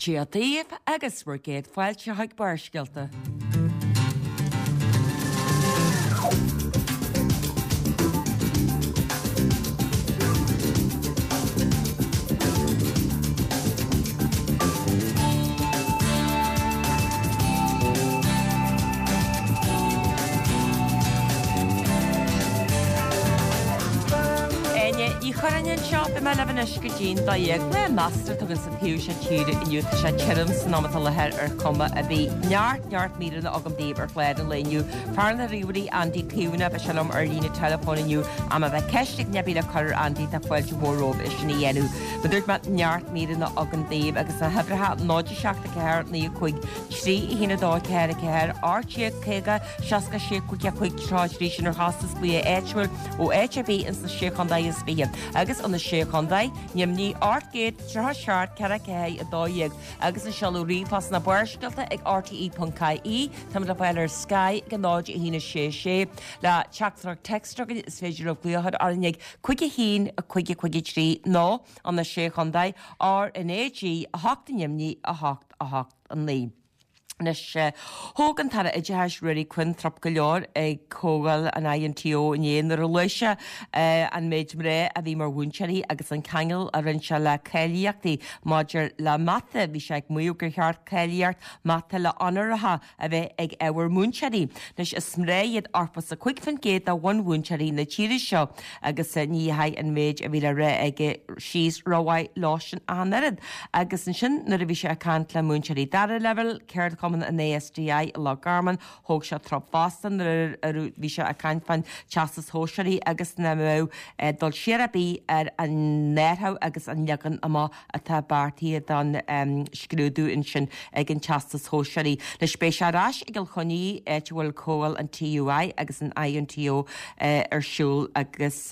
Dia daoibh agus bhur gcéad fáilte chuig Barrscéalta. Áine Ní Churráin anseo, beidh mé libh anois go dtí'n 12. Lá measartha atá againn sa taobh seo tíre inniu, tá sé tirim san am atá i láthair ar chuma ar bith. Neart, neart míreanna agam daoibh ar chlár an lae inniu. Fear na ríomhairí, Andy Caomhánach, beidh sé liom ar líne teileafóin inniu. Ach má bheadh ceist ag duine ar bith le cur ar Andy, tá fáilte mhór romhaibh é sin a dhéanamh. Mar a dúirt mé, neart míreanna againn daoibh agus na huimhreacha 0 7 4 9 5 3 1 2 4 4 18 50 66 5 5 33 sin ar chostas glaoch áitiúil ó áit ar bith ins na Sé Chontae is 20 agus ó na Sé Chontae, Nimhní 837 4 4 12 agus an seoladh ríomhphost ná Barrscéalta ag rte.ie Táimid le fáil ar Sky ag 0 1 6 6 Le teachtaireacht text againn is féidir libh glaoch a chur orainn ag 5 1 5 5 3 nó ó na Sé Chontae RnaG 8 Nimhní 8 8 9. Anois, thóg an tAire Oideachais Ruairí Quinn trup go leor ag comhdháil an INTO inné nuair a luaigh sé an méid mná a bhí mar mhúinteoirí agus an ceangal a rinne sé le cáilíochtaí maidir le mata. Bhí sé ag maíomh gur cheart cáilíocht mata le onóracha a bheith ag ábhar múinteoirí. Anois, is mná iad 85% de bhunmhúinteoirí na tíre seo agus ní dheachaigh an méid a bhí le rá aige síos rómhaith leosan ach an oiread. Agus ansin nuair a bhí sé ag caint le múinteoirí dara leibhéal, ceardchumann an ASDI i Loch Garman, thóg sé trup fosta nuair a bhí sé ag caint fán Teastas Sóisearaí agus nach mbeadh dul siar ar bith ar an athrú agus an leagan amach atá beartaithe don scrúdú ansin ag an Teastas Sóisearaí. Anois beidh sé ar ais i gCill Chainnigh, áit a bhfuil comhdháil an TUI agus an INTO ar siúl agus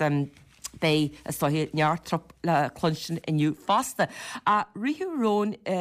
beidh, is dóiche, neart trup le cluinstin inniu fosta. Ach ritheadh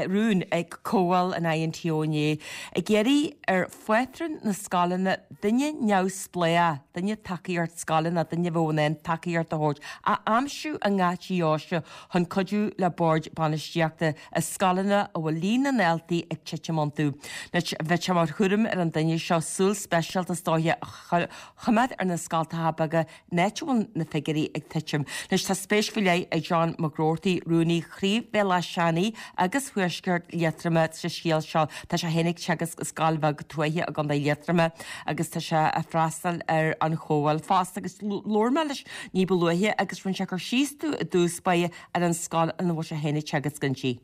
rún ag comhdháil an INTO inné ag iarraidh ar phátrúin na scoileanna duine neamhspleách, duine tacaíocht scoile nó duine a bheadh in ann tacaíocht a thabhairt, a aimsiú i ngach deoise chun cuidiú le boird bainistíochta i scoileanna a bhfuil líon na ndaltaí ag titim iontu. Anois, bheadh sé mar chúram ar an duine seo súil speisialta is dóiche a choimeád ar na scoltacha beaga in áit a bhfuil na figiúirí ag titim. Anois, tá spéis faoi leith ag John Mac Groarty, Rúnaí Chraobh Bhéal Átha Seanaidh agus Thuaisceart Liatroma sa scéal seo. Tá sé féin ag teagasc i scoil bheag tuaithe i gContae Liatroma agus tá sé ag freastal ar an chomhdháil fosta agus labhair mé leis ní ba luaithe agus rinne sé cur síos domh i dtús báire ar an scoil ina bhfuil sé féin ag teagasc inti.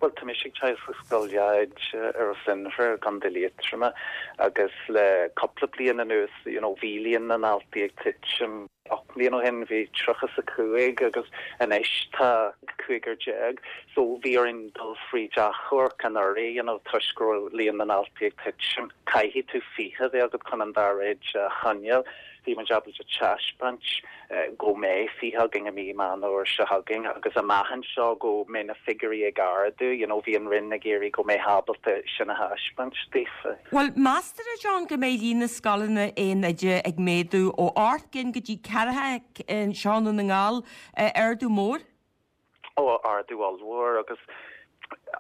Bhuel, tá mise ag teagasc i Scoil Dheaid i Ros Inbhir i gContae Liatroma agus le cúpla bliain anuas, you know, bhí líon na ndaltaí ag titim. 8 mbliana ó shin bhí 35 agus anois tá cúigear déag. So bhí orainn dul fríd achomharc anuraidh, you know, toisc go raibh líon na ndaltaí ag titim. Caithfidh tú 20 a bheith agat chun an dara oide a choinneáil. Bhí muid ábalta taispeáint go mbeidh 20 againn i mí Meán Fhómhair seo chugainn agus amach anseo go mbeidh na figiúirí ag ardú, you know, bhí an Roinn ag iarraidh go mbeifeá ábalta sin a thaispeáint daofa. Bhuel, meastar, a John, go mbeidh líon na scoileanna aon oide ag méadú ó 8 gcinn go dtí 40 anseo i nDún na nGall, ardú mór. Ó, ardú ollmhór agus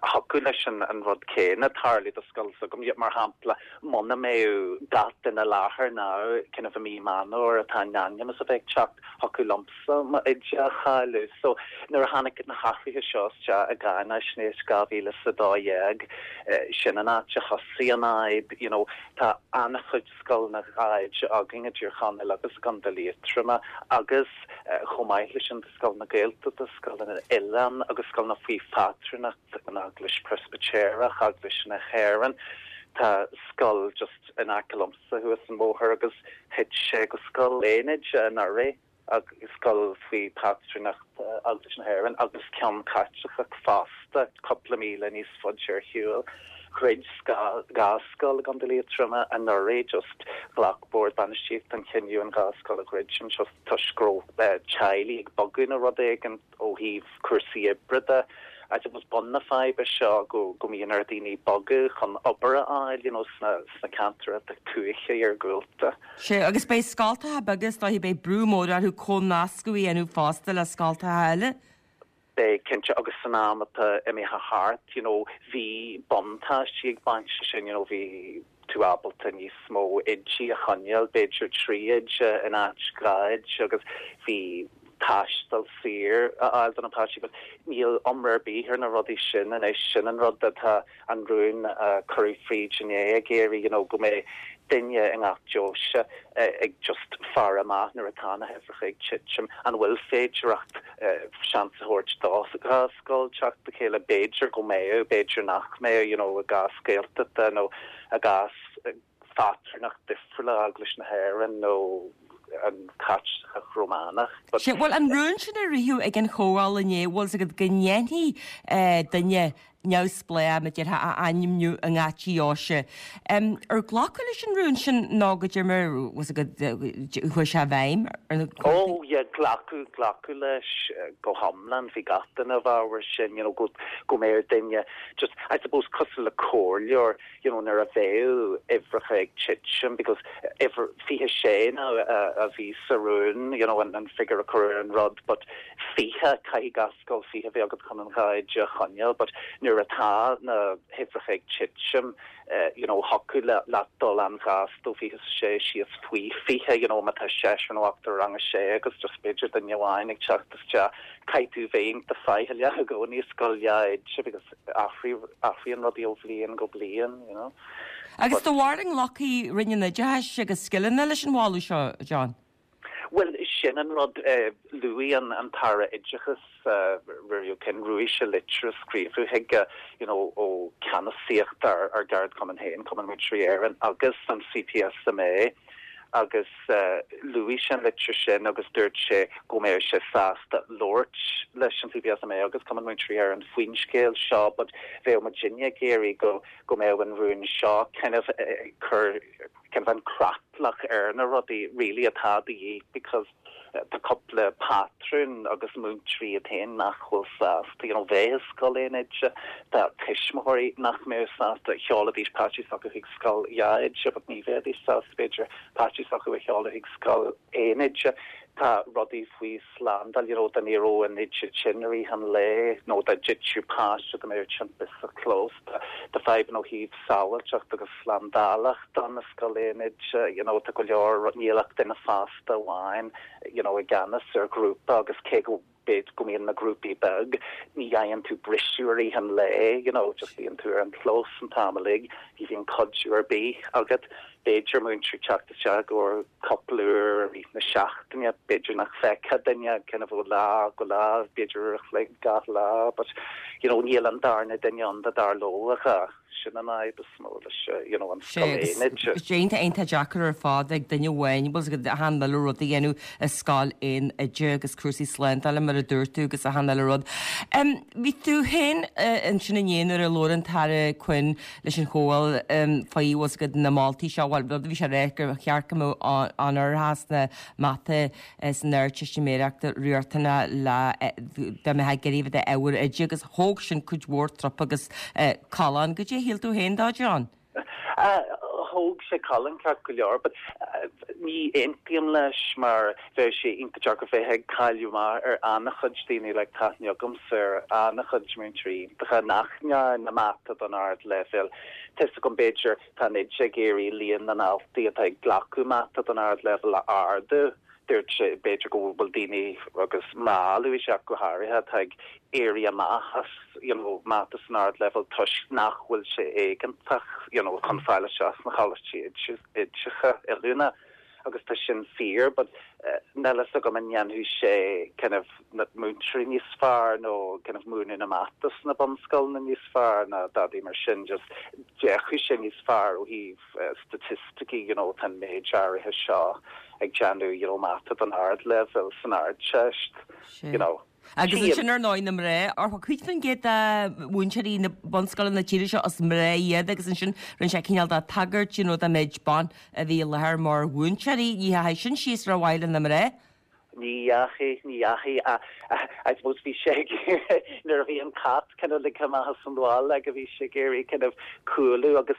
thiocfadh leis an rud céanna tarlú do scoil s'agam. Mar shampla, muna mbeadh gach duine i láthair now, kind of i mí Meán Fhómhair atá in ainm is a bheith ag teacht, thiocfadh liomsa m'oide a chailleadh. So, nuair a tháinig na hathruithe seo isteach i gCáináisnéis 2012, sin an áit a thosaigh an fhadhb. You know, tá an-chuid scoileanna dhá oide againn i dTír Chonaill agus i gContae Liatroma agus chomh maith leis sin, scoileanna Gaeltachta, scoileanna oileán agus scoileanna faoi phátrúnacht an Eaglais Preispitéireach, Eaglais na hÉireann. Tá scoil just in aice liomsa thuas an bóthar agus thit sé go scoil aon oide anuraidh, scoil faoi phátrúnacht Eaglais na hÉireann agus ceann Caitliceach fosta cúpla míle níos faide ar shiúl. Dhruid dhá scoil i gContae Liatroma anuraidh just ghlac bord bainistíochta an chinneadh an dhá scoil a dhruidim just toisc go raibh teaghlaigh ag bogadh nó rud éigin ó thaobh cúrsaí oibre de. I suppose bun na faidhbe seo go go mbíonn ar dhaoine bogadh chun obair a fháil you know sna sna ceantair atá tuaithe iargúlta. Sea, agus beidh scoltacha beaga is dóiche beidh brú mór orthu comhnascadh a dhéanamh fosta le scoltacha eile. Beidh, cinnte, agus san am atá imithe thart, you know, bhí buntáistí ag baint leis sin, you know, bhí tú ábalta níos mó oidí a choinneáil, b'fhéidir 3 oide in áit 2 oide agus bhí taisteal saor a fháil do na páistí but níl iomrá ar bith ar na rudaí sin anois, sin an rud atá an rún a cuireadh fríd inné ag iarraidh, you know, go mbeidh duine i ngach deoise ag just faire amach nuair atá na huimhreacha ag titim, an bhfuil féidireacht seans a thabhairt do dhá scoil teacht le chéile, b'fhéidir go mbeadh, b'fhéidir nach mbeadh, you know, i gcás Gaeltachta nó i gcás phátrúnacht difriúla Eaglais na hÉireann nó an Chaitliceach Rómánach. But. Sea, bhuel, an rún sin a ritheadh ag an chomhdháil inné, bhfuil 's agat go ndéanfaí duine neamhspleách, mar a déarfá, a ainmniú i ngach deoise. Ar glacadh leis an rún sin nó goidé mar, bhfuil 's agat, chuaigh sé i bhfeidhm ar na comhaltaí? Oh yeah, glacadh, glacadh leis go hiomlán, bhí gach duine i bhfabhar sin, you know, go, go mbeadh duine just, I suppose cosúil le comhairleoir, you know, nuair a bheadh uimhreacha ag titim because uimhir 26 now a bhí sa rún, you know, an figure a cuireadh ar an rud but 20, caithfidh gach scoil 20 a bheith agat chun an dhá oide a choinneáil but nuair atá na huimhreacha ag titim, you know, thiocfadh leat dul an-ghasta ó 26 síos faoi 20, you know, má tá seisear nó ochtar i rang a sé agus just b'fhéidir duine amháin ag teacht isteach, caithfidh tú bheith iontach faichilleach i gcónaí i scoil dhá oide because Athraíonn rudaí ó bhliain go bliain, you know. Agus do bharúil an nglacfaidh Roinn an Oideachais agus Scileanna leis an mholadh seo, John? Bhuel, sin an rud. Luaigh an tAire Oideachais, Ruairí Ó Quinn, luaigh sé litir a scríobhadh chuige, you know, ó ceannasaíocht ár gceardchumann féin, Cumann Múinteoirí Éireann, agus an CPSMA, agus luaigh sé an litir sin agus dúirt sé go mbeadh sé sásta labhairt leis an CPSMA agus Cumann Múinteoirí Éireann faoin scéal seo but bheadh muidinne ag iarraidh go go mbeadh an rún seo kind of ag cur kind of an creatlach ar na rudaí really atá de dhíth because tá cúpla pátrún agus múinteoirí iad féin nach bhfuil sásta you know bheith i scoil aon oide, tá tuismitheoirí nach mbeadh sásta, sheolfaidís páistí s'acu chuig scoil dhá oide but ní bheidís sásta b'fhéidir páistí s'acu a sheoladh chuig scoil aon oide. Tá rudaí faoi slándáil you know dá n-éireodh an oide tinn i rith an lae nó dá dtitfeadh páiste dá mbeadh timpiste sa chlós. Tá fadhbanna ó thaobh sábháilteacht agus slándálacht ann i scoil aon oide you know tá go leor, níl ach duine fásta amháin you know i gceannas ar ghrúpa agus cé go b'fhéidir go mbíonn na grúpaí beag, ní fhaigheann tú briseadh i rith an lae, you know, just bíonn tú ar an chlós an t-am uilig, ní bhíonn cuidiú ar bith agat. B'fhéidir múinteoir teacht isteach i gcomhair cúpla uair i rith na seachtaine, b'fhéidir nach bhfeicfeá duine kind of ó lá go lá, b'fhéidir uair a chloig gach lá, but you know níl an darna duine ann dá dtarlódh a dhath. Sin an fhadhb is mó leis you know, an scoil aon oide. Sé iontach iontach deacair ar fad ag duine amháin bhfuil 's agat achan uile rud a dhéanamh i scoil aon oide agus cúrsaí slándála mar a dúirt tú agus achan uile rud. Bhí tú féin ansin inné nuair a labhair an tAire Quinn leis an chomhdháil faoi bhfuil 's agat na moltaí seo, bhuel rud a bhí sé a rá gur cheart go mbeadh onóracha sna mata san Ardteistiméireacht riachtanach le dá mbeifeá ag iarraidh a bheith i d'ábhar oide agus thóg sin cuid mhór trup agus callán. Goidé a shíl tú féin dó, John? Thóg sé callán ceart go leor but ní aontaím leis mar bheadh sé iontach deacair bheith ag cailleadh amach ar an-chuid daoine like tá aithne agamsa ar an-chuid múinteoirí iontacha nach ndearna mata don ardleibhéal. Tá 'fhios agam b'fhéidir Tá an oide ag iarraidh líon na ndaltaí atá ag glacadh mata don ardleibhéal a ardú. Dúirt sé, b'fhéidir go bhfuil daoine, agus mná, luaigh sé ach go háirithe, atá ag éirí amach as you know mata san ardleibhéal toisc nach bhfuil sé éigeantach you know chun fáil isteach sna choláistí oideachais oiliúna. Agus tá sin fíor but níl fhios agam an ndéanfadh sé kind of na múinteoirí níos fearr nó kind of múineadh na mata sna bunscoileanna níos fearr ná dadaí mar sin just d'fhéachfadh sé níos fearr ó thaobh staitisticí you know tá an méid áirithe seo ag déanamh you know mata don ardleibhéal san Ardteist you know. Agus ansin ar ndóigh na mná, 50% de mhúinteoirí na bunscoileanna na tíre seo is mná iad agus ansin rinne sé cineál de tagairt you know don méid ban a bhí i láthair mar mhúinteoirí. Ní dheachaigh sin síos rómhaith le na mná. Ní dheachaigh, ní dheachaigh. I suppose bhí sé ag iarraidh, nuair a bhí an cat kind of ligthe amach as an bhaile aige, bhí sé ag iarraidh kind of cúlú agus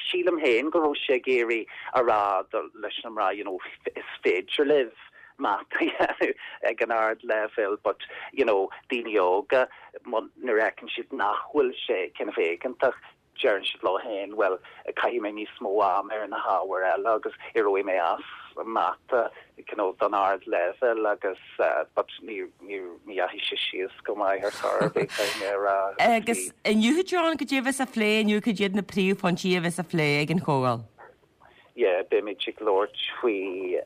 sílim féin go raibh sé ag iarraidh a rá leis na mná, you know, is féidir libh. Mata a dhéanamh ag an ardleibhéal but you know daoine óga nuair a fheiceann siad nach bhfuil sé kind of éigeantach deireann siad leo féin bhuel caithfidh mé níos mó ama ar na hábhair eile agus éireoidh mé as Mata you know don ardleibhéal agus but ní ní ní dheachaigh sé síos go maith ar chor ar bith caithfidh mé a rá. Agus inniu John, cad é a bheas á phlé inniu, cad iad na príomhphointí a bheas á phlé ag an chomhdháil? yeah beimid ag labhairt faoi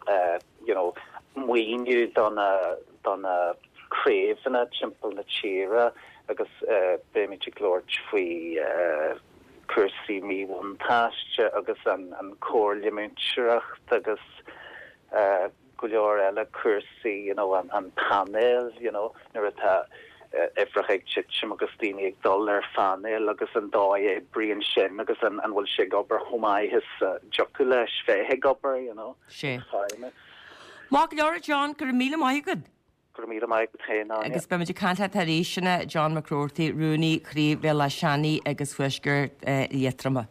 you know maoiniú do na do na craobhanna timpeall na tíre agus beimid ag labhairt faoi cúrsaí míbhuntáiste agus an an Comhairle Múinteoireachta agus go leor eile cúrsaí you know an an painéal you know nuair atá uimhreacha ag titim agus daoine ag dul ar phainéal agus an dóigh a oibríonn sin agus an an bhfuil sé ag obair chomh maith is a dtiocfadh leis bheith ag obair you know. Sé. Maith go leor a John, go raibh míle maith agat. Go raibh míle maith agat féin, Áine. Agus beimid ag caint leat arís, sin é John McGroarty, Rúnaí Chraobh Bhéal Átha Seanaidh agus Thuaisceart Liatroma.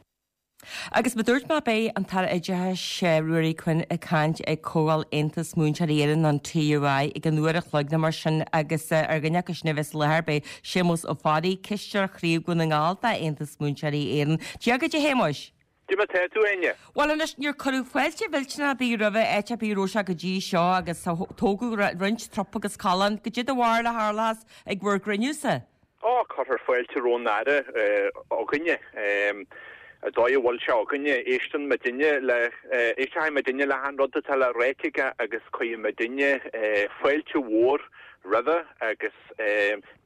Agus mar a dúirt mé beidh an tAire Oideachais Ruairí Quinn ag caint ag Comhdháil Aontas Múinteoirí Éireann, an TUI, ag an uair a chloig nó mar sin agus ar dhuine acu sin a bheas i láthair beidh Séamus Ó Fearraigh, Cisteoir Chraobh Dhún na nGall d'Aontas Múinteoirí Éireann. Dia dhuit a Shéamuis! Cad é mar tá tú, a Áine. Bhuel anois, níor cuireadh fáilte mhillteanach ar bith roimhe áit ar bith a raibh sé go dtí seo agus tógadh roinnt trup agus callán. Cad é do bharúil a tharlós ag bhur gcruinniú-sa? Ó, cuirfear fáilte roimh an Aire againne. An dóigh a bhfuil sé againne, éisteann muidinne le, éisteoidh muidinne le achan rud atá le ráit aige agus cuirfidh muidinne fáilte mhór roimhe agus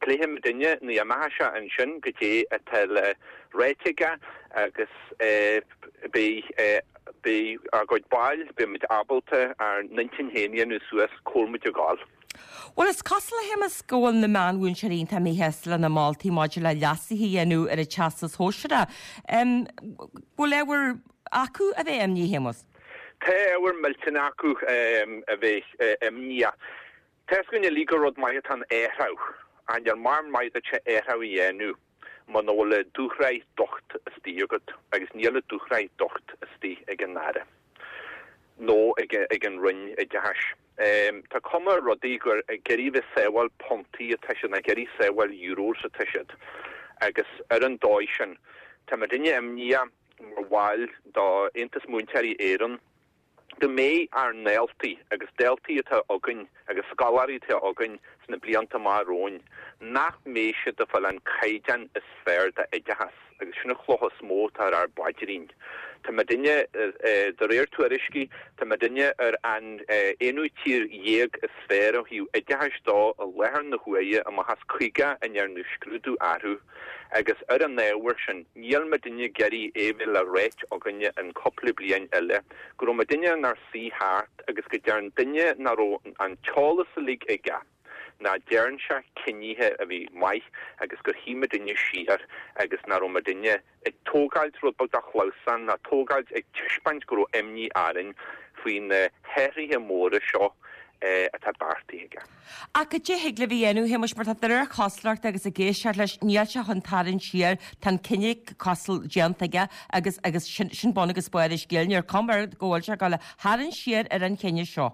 pléifidh muidinne nuair a imeoidh sé ansin goidé atá le ráit aige agus beidh, beidh ár gcuid baill, beidh muid ábalta ár n-intinn féin a dhéanamh suas cá bhfuil muid ag gabháil. Bhuel, is cosúil, a Shéamuis, go bhfuil na meánmhúinteoirí iontach míshásta lena moltaí maidir le leasuithe a dhéanamh ar an Teastas Shóisearach. Bhfuil ábhar acu a bheith imníoch, a Shéamuis? Tá ábhar millteanach acu a bheith imníoch. Tá 'fhios againn uilig gur rud maith atá in athrú, ach níor maith duit athrú a dhéanamh muna bhfuil an dúshraith docht istigh agat, agus níl an dúshraith docht istigh ag an Aire nó ag an Roinn Oideachais. Tá cuma ar rudaí gur ag iarraidh bheith sábháil puntaí atá siad, ná ag iarraidh sábháil euros atá siad. Agus ar an dóigh sin, tá muidinne imníoch mar bhaill d'Aontas Múinteoirí Éireann go mbeidh ár ndaltaí agus daltaí atá againn agus scoláirí atá againn sna blianta amach romhainn, nach mbeidh siad ag fáil an caighdeán is fearr d'oideachas. Agus sin an chloch is mó atá ar ár bpaidrín. Tá muidinne, de réir tuairiscí, tá muidinne ar an aonú tír dhéag is fearr ó thaobh oideachais dó i láthair na huaire, amach as 50 a ndearnadh scrúdú orthu. Agus ar an ábhar sin, níl muidinne ag iarraidh é bheith le ráit againne in cúpla bliain eile go raibh muidinne inár suí thart agus go dtearn duine nach raibh an t-eolas uilig aige, nach dtearn sé cinnithe a bhí maith agus gur shuigh muidinne siar agus nach raibh muidinne ag tógáilt rud beag de chlamhsán ná tógáilt ag taispeáint go raibh imní orainn faoi na hathruithe móra seo atá beartaithe aige. Ach cad é thig libh a dhéanamh, a Shéamuis, mar tá de réir cosúlachta agus ag éisteacht leis, níl sé chun tarraingt siar, tá an cinneadh cosúil déanta aige agus agus sin sin bun agus barr an scéil, níl cuma air go bhfuil sé ag dul a tharraingt siar ar an chinneadh seo.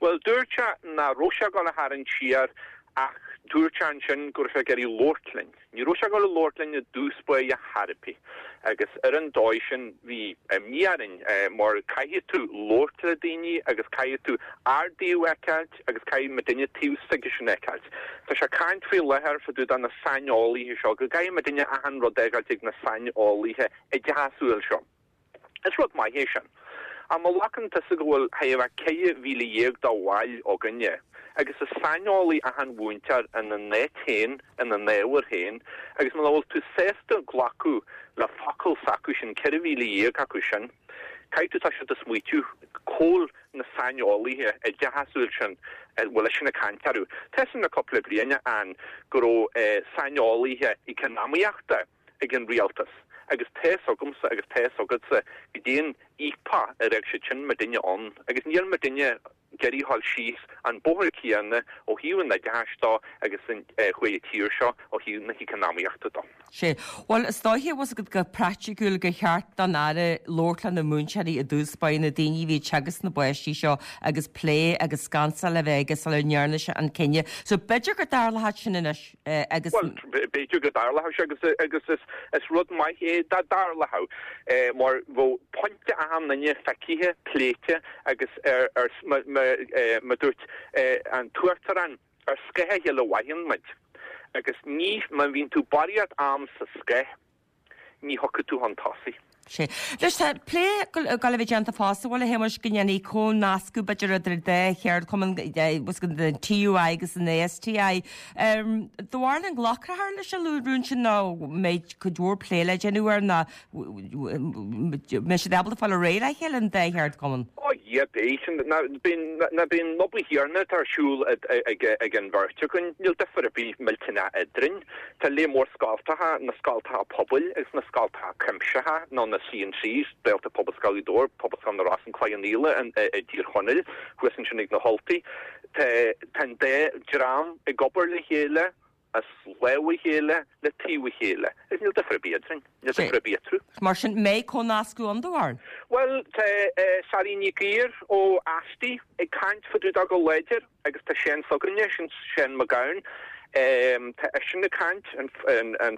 Bhuel, dúirt sé nach raibh sé ag dul a tharraingt siar ach dúirt sé ansin go raibh sé ag iarraidh labhairt linn. Ní raibh sé ag dul a labhairt linn i dtús báire chor ar bith agus ar an dóigh sin bhí imní orainn mar caithfidh tú labhairt le daoine agus caithfidh tú ár dtaobh a fheiceáilt agus caithfidh muidinne taobh s'aigesean a fheiceáilt. Tá sé ag caint faoi láthair fá dtaobh de na saineolaithe seo, go gcaithfidh muidinne achan rud a fhágáilt ag na saineolaithe oideachasúil seo. Is rud maith é sin. Ach má ghlacann tusa go bhfuil chóir a bheith 14,000 de bhaill againne, agus is saineolaí achan mhúinteoir ina n-áit féin, ina n-ábhar féin, agus muna bhfuil tú sásta glacadh le focal s'acu sin, 14,000 acu sin, caithfidh tú toiseacht ag smaoitiú cá bhfuil na saineolaithe oideachasúil sin a bhfuil eisean ag caint orthu. Tá 'fhios a'm le cúpla bliain ann go raibh saineolaithe eacnamaíochta, ag an rialtas agus tá 'fhios agamsa agus tá 'fhios agatsa goidé an fhaopach a raibh siad sin muidinne ann agus níl muidinne ag iarraidh dhul síos an bóthar céanna ó thaobh an oideachais dó agus chuaigh an tír seo ó thaobh na heacnamaíochta dó. Sea. Bhuel, is dóiche, bhfuil 's agat, go praiticiúil gur cheart don Aire labhairt le na múinteoirí i dtús báire, na daoine a bhí ag teagasc na bpáistí seo agus plé agus scansáil a bheith aige sula ndearna sé an cinneadh. So b'fhéidir go dtarlóidh sin anois agus. Bhuel, b'fhéidir go dtarlódh sé agus agus is is rud maith é dá dtarlódh mar bheadh pointe achan duine feicthe, pléite agus ar ar mar a dúirt an tUachtarán, Ar scáth a chéile a mhaireann muid, agus ní, má bhíonn tú barraíocht am sa scáth, ní thiocfaidh tú chun tosaigh. Sea. Anois tá plé ag dul a bheith déanta fosta, bhuel, a Shéamuis, go ndéanfaí comhnascadh, b'fhéidir, idir an dá cheardchumann, an TUI agus an STI. Do bharúil an nglacfar leis an rún sin nó mbeidh cuid mhór plé le déanamh air nó mbeidh siad ábalta fáil ar aghaidh le chéile, an dá cheardchumann? Ó yeah, beidh. Ná bíonn an obair chéanna atá ar siúl ag an bheirt againn, níl difear ar bith millteanach eadrainn. Tá lear mór scoltacha, na scoltacha pobail agus na scoltacha cuimsitheacha, nó na CNCs, Gaeltacht Pobalscoil Ghaoth Dobhair, Pobalscoil na Rosann, Cloich Cheann Fhaola i dTír Chonaill, thuas ansin ag na hUltaigh. Tá an dá dream ag obair le chéile, as lámh a chéile le taobh a chéile. Agus níl difear ar bith eadrainn. Níl difear ar bith eatarthu. Mar sin, mbeidh comhnascadh ann do bharúil? Bhuel, tá Sally Nic Uidhir ó Asti ag caint fá dtaobh dó go láidir agus tá Seán s'againne, sin Seán Mac Gabhann, tá eisean ag caint, an an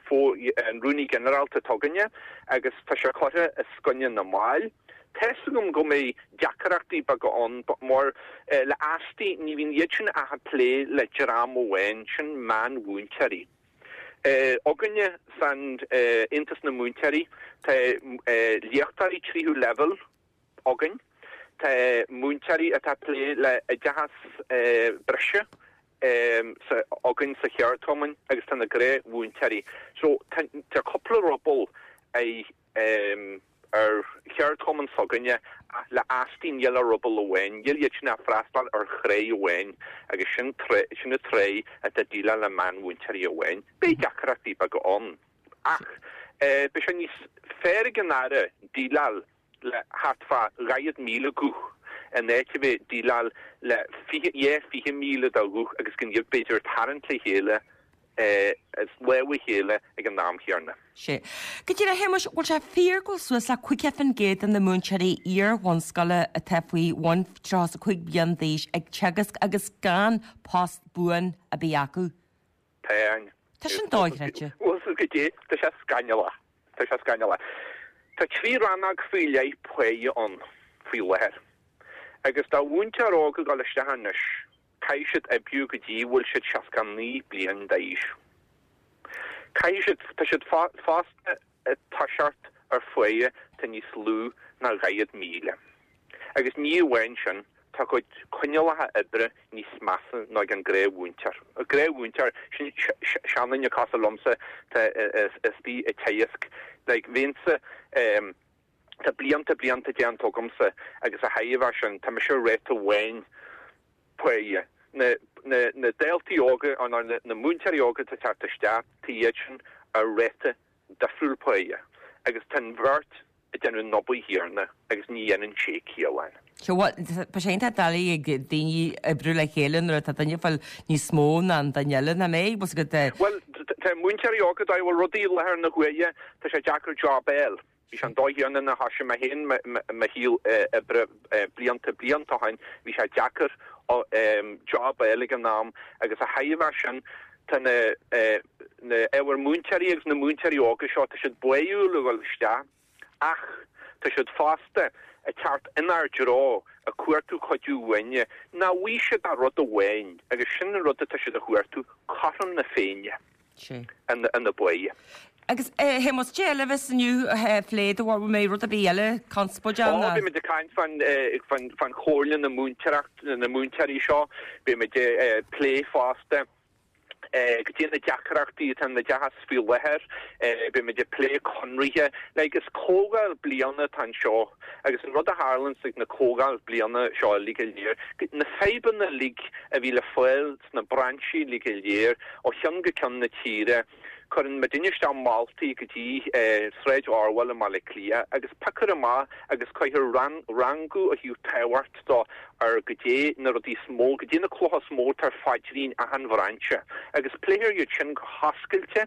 Rúnaí Ginearálta atá againne agus tá sé curtha os coinne na mball. Tá's agam go mbeidh deacrachtaí beaga ann mar le Asti ní bhíonn iad sin ach ag plé le dream amháin, sin meánmhúinteoirí. Againne san Aontas na Múinteoirí tá léachtóirí tríú leibhéal againn, tá múinteoirí atá ag plé le oideachas breise againn sa cheardchumann agus tá na gnáthmhúinteoirí. So tá cúpla ruball ar cheardchumann s'againne ach le Asti níl ach ruball amháin, níl iad sin ach ag freastal ar thráigh amháin agus sin sin an tráigh atá ag déileáil le meánmhúinteoirí amháin. Beidh deacrachtaí beaga ann ach beidh sé níos fearr ag an Aire déileáil le thart fá 40,000 guth in áit a bheith ag déileáil le 20,000 de ghuth agus gan iad b'fhéidir ag tarraingt le chéile as lámh a chéile ag an am chéanna. Sea. Go díreach, a Shéamuis, bhfuil sé fíor go bhfuil suas le 50% de na múinteoirí iar-bhunscoile atá faoi bhun 35 bliain d'aois ag teagasc agus gan post buan ar bith acu? Tá. Tá sin dochreidte. Bhfuil fhios agat goidé, tá sé scannalach. Tá sé scannalach. Tá 3 rannóg faoi leith páighe ann faoi láthair. Agus do mhúinteoir óg ag dul isteach anois, Caithfidh siad oibriú go dtí bhfuil siad 69 bliain d'aois. Caithfidh siad, tá siad fosta ag toiseacht ar pháighe atá níos lú ná 40,000. Agus ní amháin sin, tá a gcuid coinníollacha oibre níos measa ná ag an gnáthmhúinteoir. An gnáthmhúinteoir, sin seanduine cosúil liomsa atá istigh ag teagasc. Like, bheinnse, Tá blianta, blianta déanta agamsa agus a thairbhe sin, tá mise ar ráta amháin páighe. Na, na, na daltaí óga, nó na, na múinteoirí óga atá ag teacht isteach, tá iad sin ar ráta difriúil páighe agus tá an bheirt ag déanamh an obair chéanna agus ní dhéanann sé ciall. Sea, bhuel, tá sé iontach doiligh ag daoine oibriú le chéile nuair atá duine ag fáil níos mó ná an duine eile, nach mbeidh? Bhfuil 's agat. Bhuel, tá múinteoirí óga, dá bhfuil rudaí i láthair na huaire, tá sé deacair job a fháil. Bhí sé an dóigh chéanna nuair a thoisigh mé féin mo shaol oibre blianta blianta ó shin. Bhí sé deacair job a fháil ag an am agus a thairbhe sin tá na na ábhair múinteoirí agus na múinteoirí óga seo, tá siad báúil a dhul isteach ach tá siad fosta ag teacht inár dtreo ag cuartú cuidiú uainne. Nach bhfaighidh siad ach rud amháin agus sin an rud atá siad a chuartú, cothrom na Féinne. ina bpáighe. Agus a Shéamuis, cad é eile a bheas inniu á phlé do bharúil, mbeidh rud ar bith eile conspóideach ná? Ó, beimid ag caint fán fán chomhairle na múinteoireacht, na múinteoirí seo, beimid ag plé fosta goidé na deacrachtaí atá in oideachas faoi láthair, beimid ag plé conraithe, like is comhdháil bliana atá anseo agus an rud a tharlaíonns ag na comhdháil bliana seo uilig go léir, na fadhbanna uilig a bhí le fáil sna brainsí uilig go léir ó cheann go ceann na tíre. Cuireann muidinne isteach moltaí go dtí Sráid Orwell i mBaile Átha Cliath agus piocfar amach agus cuirfear rangú ó thaobh tábhacht dó ar goidé na rudaí is mó, goidé na clocha is mó atá ar phaidrín achan bhrainse agus pléifear iad sin go hoscailte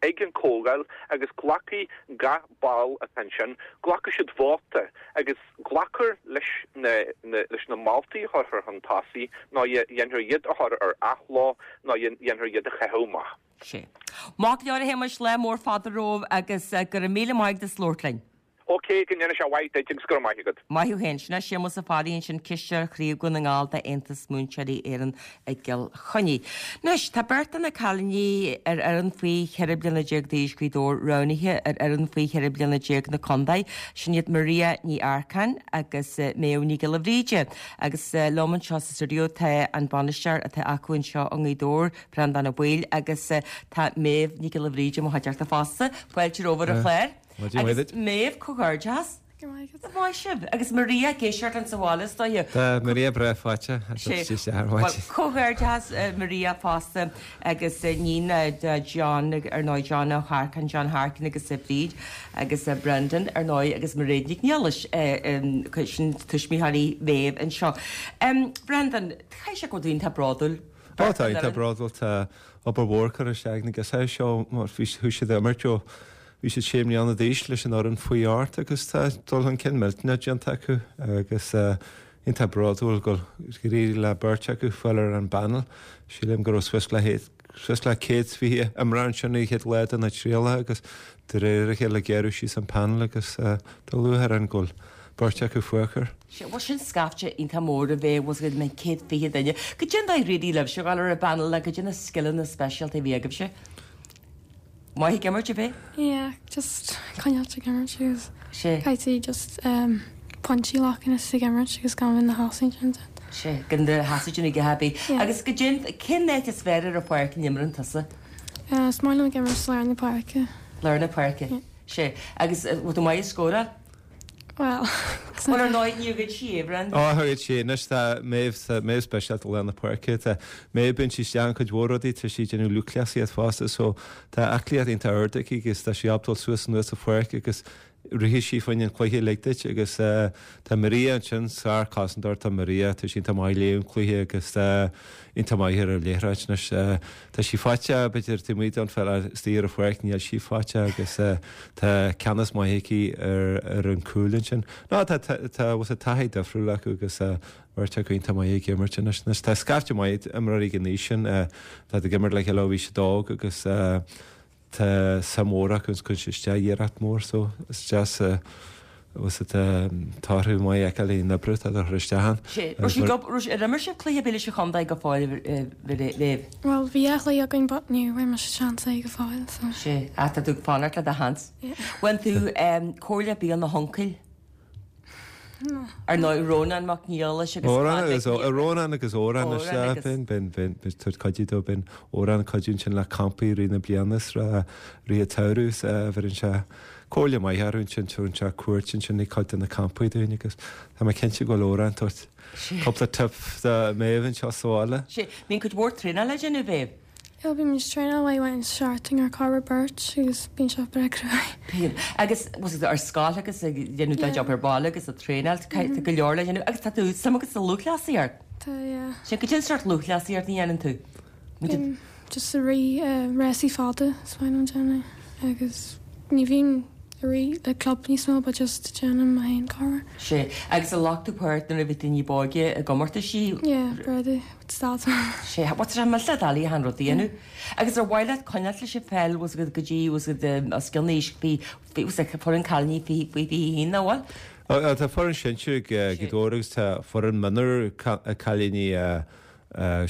ag an comhdháil agus glacfaidh gach ball atá ansin, glacfaidh siad vóta agus glacfar leis na leis na moltaí a chuirfear chun tosaigh nó dhéanfar iad a chur ar athló nó dhéanfar iad a chaitheamh amach. Sea. Maith go leor a Shéamais, lá mór fada romhaibh agus go raibh míle maith agat as labhairt linn. Ok, go ndéana sé mhaith duit agus go raibh maith agat. Maith thú féin. Sin é Séamus Ó Fearraigh ansin, Cisteoir Chraobh Dhún na nGall d'Aontas Múinteoirí Éireann i gCill Chainnigh. Anois, tá beirt de na cailíní ar fhoireann faoi 14 bliana d'aois Ghaoth Dobhair roghnaithe ar fhoireann faoi 14 bliana na contae. Sin iad Maria Ní Earcáin agus Méabh Ní Ghiolla Bhríde. Agus liom anseo sa stiúideo tá an bainisteoir atá acu anseo i nGaoth Dobhair, Breandán Ó Baoill agus tá Méabh Ní Ghiolla Bhríde i mo chuideachta fosta. Fáilte romhaibh ar an chlár. Agus Méabh, comhghairdeas. Go raibh maith agat. Maith sibh. Agus Maria ag éisteacht linn sa bhaile is dóiche. Tá Maria breá faighte. Bhuel, comhghairdeas Maria fosta agus iníon de John, ar ndóigh, John Ó hEarcáin, John Harkin agus Bríd agus Brendan, ar ndóigh, agus Mairéad Nic Niallais, sin tuismitheoirí Mhéabh anseo. Brendan, caithfidh sé go bhfuil tú iontach bródúil. Ó tá, iontach bródúil. Tá obair mhór curtha isteach ag na girseachaí seo mar chuaigh siad ag imirt ó Bhí siad sé mbliana d'aois leis an fhoireann faoi ocht agus tá dul chun cinn millteanach déanta acu agus iontach bródúil gur éirigh le beirt acu fáil ar an bpanel. Sílim go raibh suas le suas le 120 imreoir ansin an chéad lá de na trialacha agus de réir a chéile gearradh síos an panel agus tá lúcháir orainn go bhfuil beirt acu fágtha. Sea, bhuel sin scaifte iontach mór a bheith, bhfuil a fhios agat, 120 duine. Goidé an dóigh ar éirigh libhse a ghabháil ar an bpanel nó goidé na scileanna speisialta a bhí agaibhse. Maith ag imirt, ab é? Yeah, just coinneáilt ag imirt agus caithfidh tú just pointí a ghlacadh is ag imirt agus gan bheith ina sheasamh ansin. Sea, gan do sheasamh ag a bith. Agus goidé, cén áit is fearr ar an pháirc a n-imreann tusa? Is maith liom ag imirt lár na páirce. Lár na páirce. Sea, agus bhfuil tú maith ag scóráil? Bhuel, Bhuel, ar ndóigh, níor ghoid sí é, Brendan. Ó, ghoid sí. Anois tá Méabh, tá Méabh speisialta lár na páirce. Tá Méabh, bíonn sí isteach in cuid mhór rudaí, tá sí ag déanamh lúthchleasaíocht fosta, so tá aclaíocht iontach ard aici agus tá sí ábalta dul suas anuas an pháirc agus rithfidh sí fá choinne an cluiche uilig duit agus tá Maria ansin, sár-chosantóir tá Maria, tá sí iontach maith ag léamh an cluiche agus tá iontach maith ar an liathróid anois. Tá sí faiteach, b'fhéidir, taobh amuigh den pheil ach istigh ar an pháirc níl sí faiteach agus tá ceannas maith aici ar an cúl ansin. Ná tá tá bhfuil taithí difriúil acu agus beirt acu iontach maith ag imirt anois. Anois tá scaifte maith imreoirí ag an aois sin atá ag imirt le chéile ó bhí siad óg agus Tá suim mhór acu agus cuireann siad isteach iarracht mhór so is deas bhfuil a fhios agat torthaí maith a fheiceáil ón obair atá á chur isteach ann. Sé, raibh siad go, raibh, ar imir sibh cluiche ar bith leis an chontae go fóill a Mhéabh? Bhuel bhí dhá chluiche againn but ní bhfuair mise seans é go fóill so. Sé, ah tá tú ag fanacht le do sheans. Yeah. Bhain tú comhairle ar bith óna huncail? Ar ndóigh, Rónán Mac Niallais agus Rónán agus Rónán agus Odhrán is ea, bíonn, bíonn, bíonn, bíonn tabhairt cuidiú dó, bíonn Odhrán ag cuidiú ansin le campaí i rith na bliana is rith an tsamhraidh is bheireann sé comhairle maith orthu ansin, tugann sé cuairt ansin ag cuid de na campaí dúinn agus tá mé cinnte go bhfuil Odhrán ag tabhairt cúpla tip do Méabh anseo sa bhaile. Sea, bíonn cuid mhór traenála le déanamh, a Mhéabh. Yeah, bímid ag traenáil uair amháin sa seachtain ar corradh beirt agus bíonn sé breá cruaidh. Bíonn. Agus bhfuil a fhios agat ar scoil agus ag déanamh do job ar baile agus ag traenáil, tá go leor le déanamh. Agus tá tú suim agat sa lúthchleasaíocht? Tá, yeah. Sin, goidé an sórt lúthchleasaíocht a dhéanann tú? Bím just ag rith rásaí fada is maith liom déanamh agus ní bhím ag rith le club níos mó but just déanaim mo fhéin corruair. Sea. Agus ar ghlac tú páirt nuair a bhí tú ní b'óige i gcomórtaisí? Yeah, brother. Stad. Sea, bhuel tá sé millteach doiligh achan rud a dhéanamh. Agus ar mhaith leat coinneáilt leis an pheil, bhfuil a fhios agat go dtí, bhfuil a fhios agat, os cionn aois, faoi, bhfuil a fhios agat, foireann cailíní faoi, faoi 21, nach bhfuil? Tá foireann sinsir ag Gaoth Dobhair agus tá foireann mionúr cailíní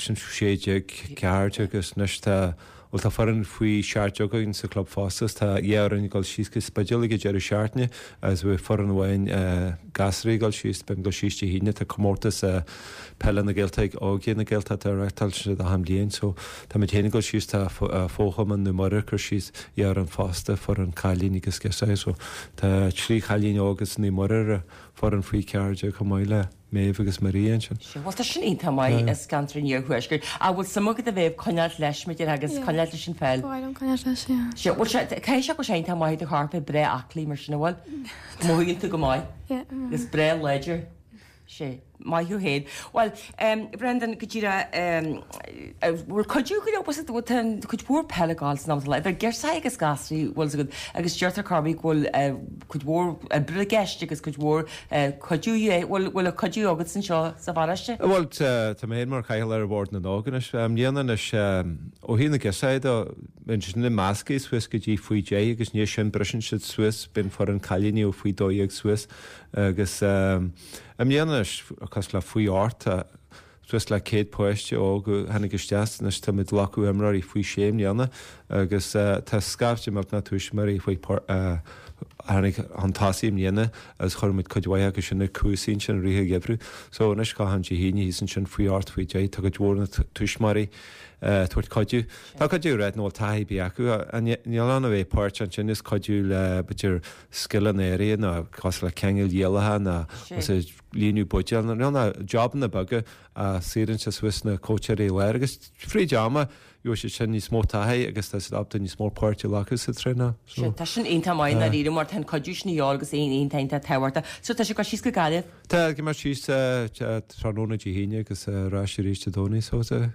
sin 16, 14 agus anois tá, bhuel tá foireann faoi 17 againn sa chlub fosta agus tá dhá fhoireann ag dul síos go Spidéal ag an deireadh seachtaine agus bhí foireann amháin gasúraí ag dul síos, beidh ag dul síos Dé hAoine, tá comórtas Peile na Gaeltachta ag Óige na Gaeltachta a reáchtálann siad achan bhliain so táimid féin ag dul síos, tá Fo-Chumann Naomh Muire ag cur síos dhá fhoireann fosta, foireann cailíní agus girseachaí so tá trí chailín óga as Naomh Muire ar an foireann faoi 14 chomh maith le. Méabh agus Maria ansin. Sea, bhuel tá sin iontach maith as ceantar an Iarthuaiscirt. Ach bhfuil suim agat a Mhéabh coinneáilt leis, mar a déarfá, agus coinneáilt leis an pheil? Ba mhaith liom coinneáilt leis, yeah. Sea, bhuel sea, caithfidh sé go bhfuil sé iontach maith do chorp é breá aclaí mar sin, an bhfuil? Mothaíonn tú go maith. Yeah. Agus breá láidir. Sea, maith thú féin. Bhuel, Brendan, go díreach, bhfuil cuidiú go leor, bhfuil tá cuid mhór peile ag gabháil san am atá le, idir girseachaí agus gasraí, bhfuil 's agat, agus deirtear chor ar bith go bhfuil cuid mhór oibre i gceist agus cuid mhór cuidiú, bhfuil bhfuil cuidiú agat anseo sa pharóiste? Bhuel, tá mé féin mar chathaoirleach ar Bhord na nÓg anois. I mbliana anois, ó thaobh na girseachaí de, bíonn siad sin measctha suas go dtí faoi deich agus i ndiaidh sin briseann siad suas, bíonn foireann cailíní ó faoi 12 suas agus i mbliana anois, cosúil le faoi ocht, tá suas le 100 páiste óg a tháinig isteach, anois tá muid ag glacadh imreoirí faoi sé i mbliana agus tá scaifte millteanach tuismitheoirí faoi a tháinig chun tosaigh i mbliana agus chuir muid cuid mhaith acu sin ar cúrsaí ansin i rith an gheimhridh. So anois achan Dé hAoine thíos ansin faoi ocht, faoi deich, tá cuid mhór na tuismitheoirí ag tabhairt cuidiú. Tá cuid acu ag ráit nach bhfuil taithí ar bith acu. Níl ann a bheith páirteach ansin is cuidiú le b'fhéidir scileanna áirithe nó cosúil le ceangal rialacha nó líonadh buidéal nó nó jobanna beaga a saorann sé suas na cóitseálaithe láir agus fríd ama gheobhaidh siad sin níos mó taithí agus tá siad ábalta níos mó páirt a ghlacadh sa traenáil. So. Tá sin iontach maith i ndáiríre mar tá an cuidiú sin a dhíobháil agus é iontach iontach tábhachtach. So tá sibh ag dul síos go Gaillimh? Tá, ag imeacht síos tráthnóna Dé hAoine agus ar ais arís Dé Domhnaigh so tá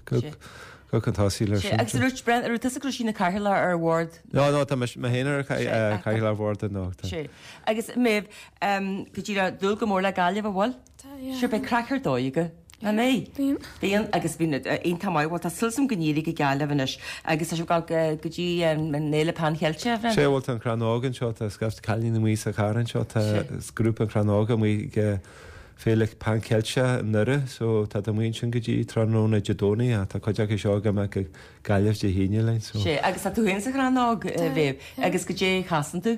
go chun tosaigh leis sin. Agus an raibh tusa go raibh sí ina cathaoirleach ar bhord? No, no, tá mé féin ar chathaoirleach bhord na nÓg. Sea. Agus Méabh, go díreach, dúil go mór le Gaillimh, an bhfuil? Tá, yeah. Sure, beidh craic ar dóigh agaibh. Nach mbeidh? Bíonn. Bíonn, agus bíonn iontach maith. Bhuel, tá súil agam go n-éireoidh le Gaillimh anois. Agus tá sibh ag dul go dtí an Fhéile Pan Cheilteach, a Bhrendan? Sea, bhuel, tá an Crann Óg anseo, tá scaifte cailíní amuigh sa charr anseo, tá grúpa an Chrann Óg amuigh ag Féile Pan Cheilteach i nDoire, so tá amuigh ansin go dtí tráthnóna Dé Domhnaigh, tá cuid acu seo ag imeacht go Gaillimh Dé hAoine linn, so. Sea, agus tá tú féin sa Chrann Óg, a Mhéabh, agus goidé a chasann tú?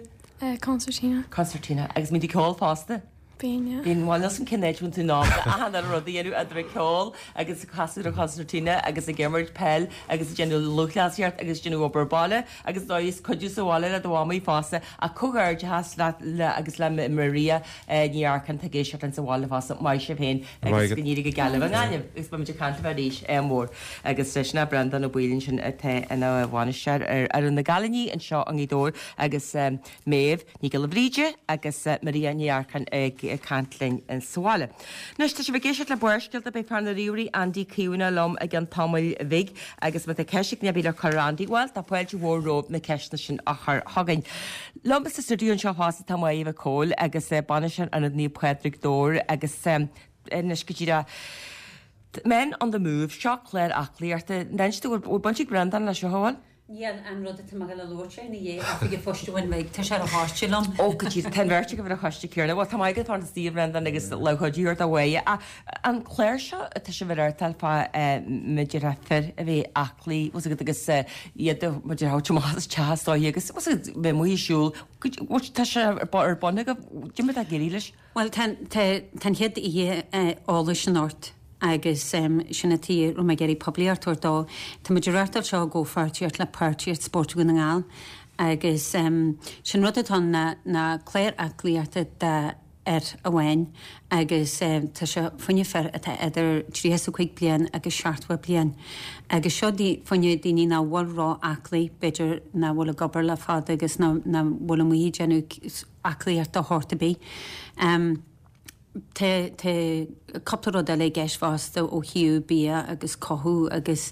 Concertina. Concertina. Agus mbíonn tú ag ceol fosta? Bíonn, yeah. Bíonn, bhuel, níl 's agam cén áit a bhfuil tú in ann achan uile rud a dhéanamh, idir ag ceol agus ag casadh ar an choncertina agus ag imirt peil agus ag déanamh lúthchleasaíocht agus ag déanamh obair baile agus dóigh is cuidiú sa bhaile le do mhamaí fosta ach comhghairdeachas leat le agus le Maria Ní Earcáin atá ag éisteacht linn sa bhaile fosta, maith sibh féin agus go n-éirí le Gaillimh i nGaillimh agus beimid ag caint libh arís ádh mór agus sin é Breandán Ó Baoill ansin atá ina bhainisteoir ar fhoireann na gcailíní anseo i nGaoth Dobhair agus Méabh Ní Ghiolla Bhríde agus Maria Ní Earcáin ag caint linn sa bhaile. Anois tá sibh ag éisteacht le Barrscéalta, beidh fear na ríomhairí Andy Caomhánach liom i gceann tamaill bhig agus má tá ceist ag duine ar bith le cur ar Andy, bhuel tá fáilte mhór romhaibh na ceisteanna sin a chur chugainn. Liom sa stiúideo anseo fosta tá Máire Mhic Cóil agus bainisteoir Ionad Naomh Pádraig Dobhair agus anois go díreach Men on the Move, seo clár aclaíochta. Anois bhfuil baint ag Breandán leis seo, an bhfuil? Níl an rud atá mé ag dul a labhairt air ina dhiaidh Oifig an Phoist a bhain mé, tá sé ar an choiste liom. Ó, go díreach, tá an bheirt agaibh ar an choiste céanna. Bhuel, tá maith agat fanacht istigh, a Bhreandáin, agus lámh chuidiú a thabhairt do Mháire. Ach an clár seo, tá sibh a reáchtáil fá, mar a déarfá, fir a bheith aclaí, bhfuil 's agat, agus iad a, mar a déarfá, amach as teach is dóiche, agus, bhfuil 's agat, bheith amuigh ag siúl. Bhuel, tá sé ar bun agaibh, cad é mar atá ag éirí leis? Bhuel, tá an chéad oíche eolais anocht agus sin an tuige a raibh mé ag iarraidh poiblíocht a thabhairt dó. Tá muid ag reáchtáil seo i gcomhpháirtíocht le Páirtíocht Spóirt Dhún na nGall agus sin rud atá ann ná clár aclaíochta d'fhir amháin agus tá sé fá choinne fir atá idir 35 bliain agus 70 bliain agus seo fá choinne daoine nach bhfuil ró-aclaí, b'fhéidir nach bhfuil ag obair le fada agus nach bhfuil amuigh ag déanamh aclaíocht de shórt ar bith. Tá cúpla rud eile i gceist fosta ó thaobh bia agus cothú agus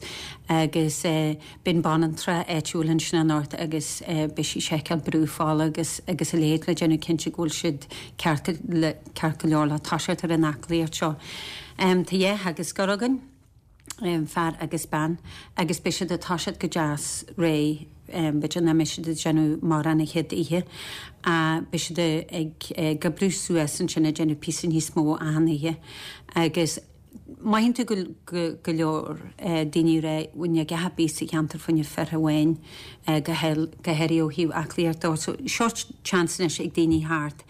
agus beidh an banaltra áitiúil ansin anocht agus beidh sí ag seiceáil brú fola agus agus a leithéid le déanamh cinnte go bhfuil siad ceart ceart go leor le toiseacht ar an aclaíocht seo. Tá dhá theagascóir againn. fear agus bean, agus beidh siad ag toiseacht go deas réidh, b'fhéidir nach mbeidh siad ag déanamh mórán an chéad oíche, ach beidh siad ag oibriú suas ansin ag déanamh píosa níos mó achan oíche agus. Mothaíonn tú go go leor daoine ag rá bhfuil a dhath ar bith sa cheantar fá choinne fir amháin go háirithe ó thaobh aclaíocht dó. So seo chance anois ag daoine theacht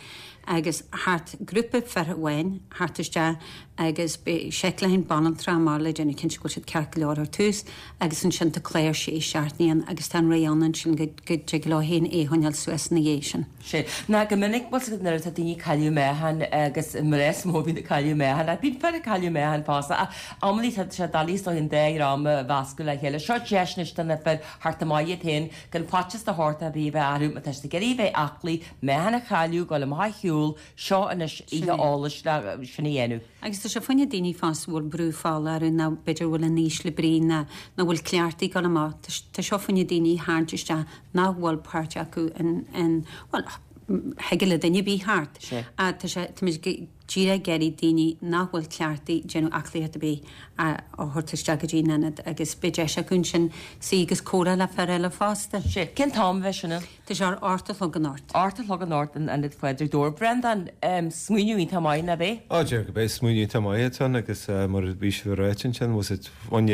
agus theacht grúpa fir amháin theacht isteach agus beidh seiceáil le banaltra mar le déanamh cinnte go bhfuil siad ceart go leor ar tús agus ansin tá clár sé seachtainí ann agus tá an rith ann ansin go go dtig leo féin é a choinneáil suas ina dhiaidh sin. Sea. Ná go minic, bhfuil 's agat nuair atá daoine ag cailleadh meáchain agus mná is mó a bhíonn ag cailleadh meáchain, ach bíonn fir ag cailleadh meáchain fosta, ach amannaí tá sé doiligh is dóigh an dá dhream a mheascadh le chéile. Seo deis anois do na fir theacht amach iad féin gan faitíos de shórt ar bith a bheith orthu, má tá siad ag iarraidh a bheith aclaí, meáchan a chailleadh, dul amach a shiúl, seo anois oíche eolais le sin a dhéanamh. Agus tá sé fá choinne daoine fosta a bhfuil brú fola orthu nó b'fhéidir a bhfuil in ísle brí nó nach bhfuil cleachtaithe ag dul amach. Tá seo fá choinne daoine a tharraingt isteach nach bhfuil páirt acu in, bhuel, thig le duine ar bith theacht. Ach tá sé, táimid díreach ag iarraidh daoine nach bhfuil cleachtaithe ag déanamh aclaíocht ar bith a thabhairt isteach go dtí an ionad agus beidh deis acu ansin suí agus comhrá le fir eile fosta. Sea. Cén t-am a bheidh sin ann? Tá sé ar 8 a chlog anocht. 8 a chlog anocht in Ionad Phádraig Dobhair. Breandán, smaoineamh iontach maith, nach é? Á, déarfainn gurb é smaoineamh iontach maith atá ann agus mar a bhí sibh ag ráit ansin, was it bhain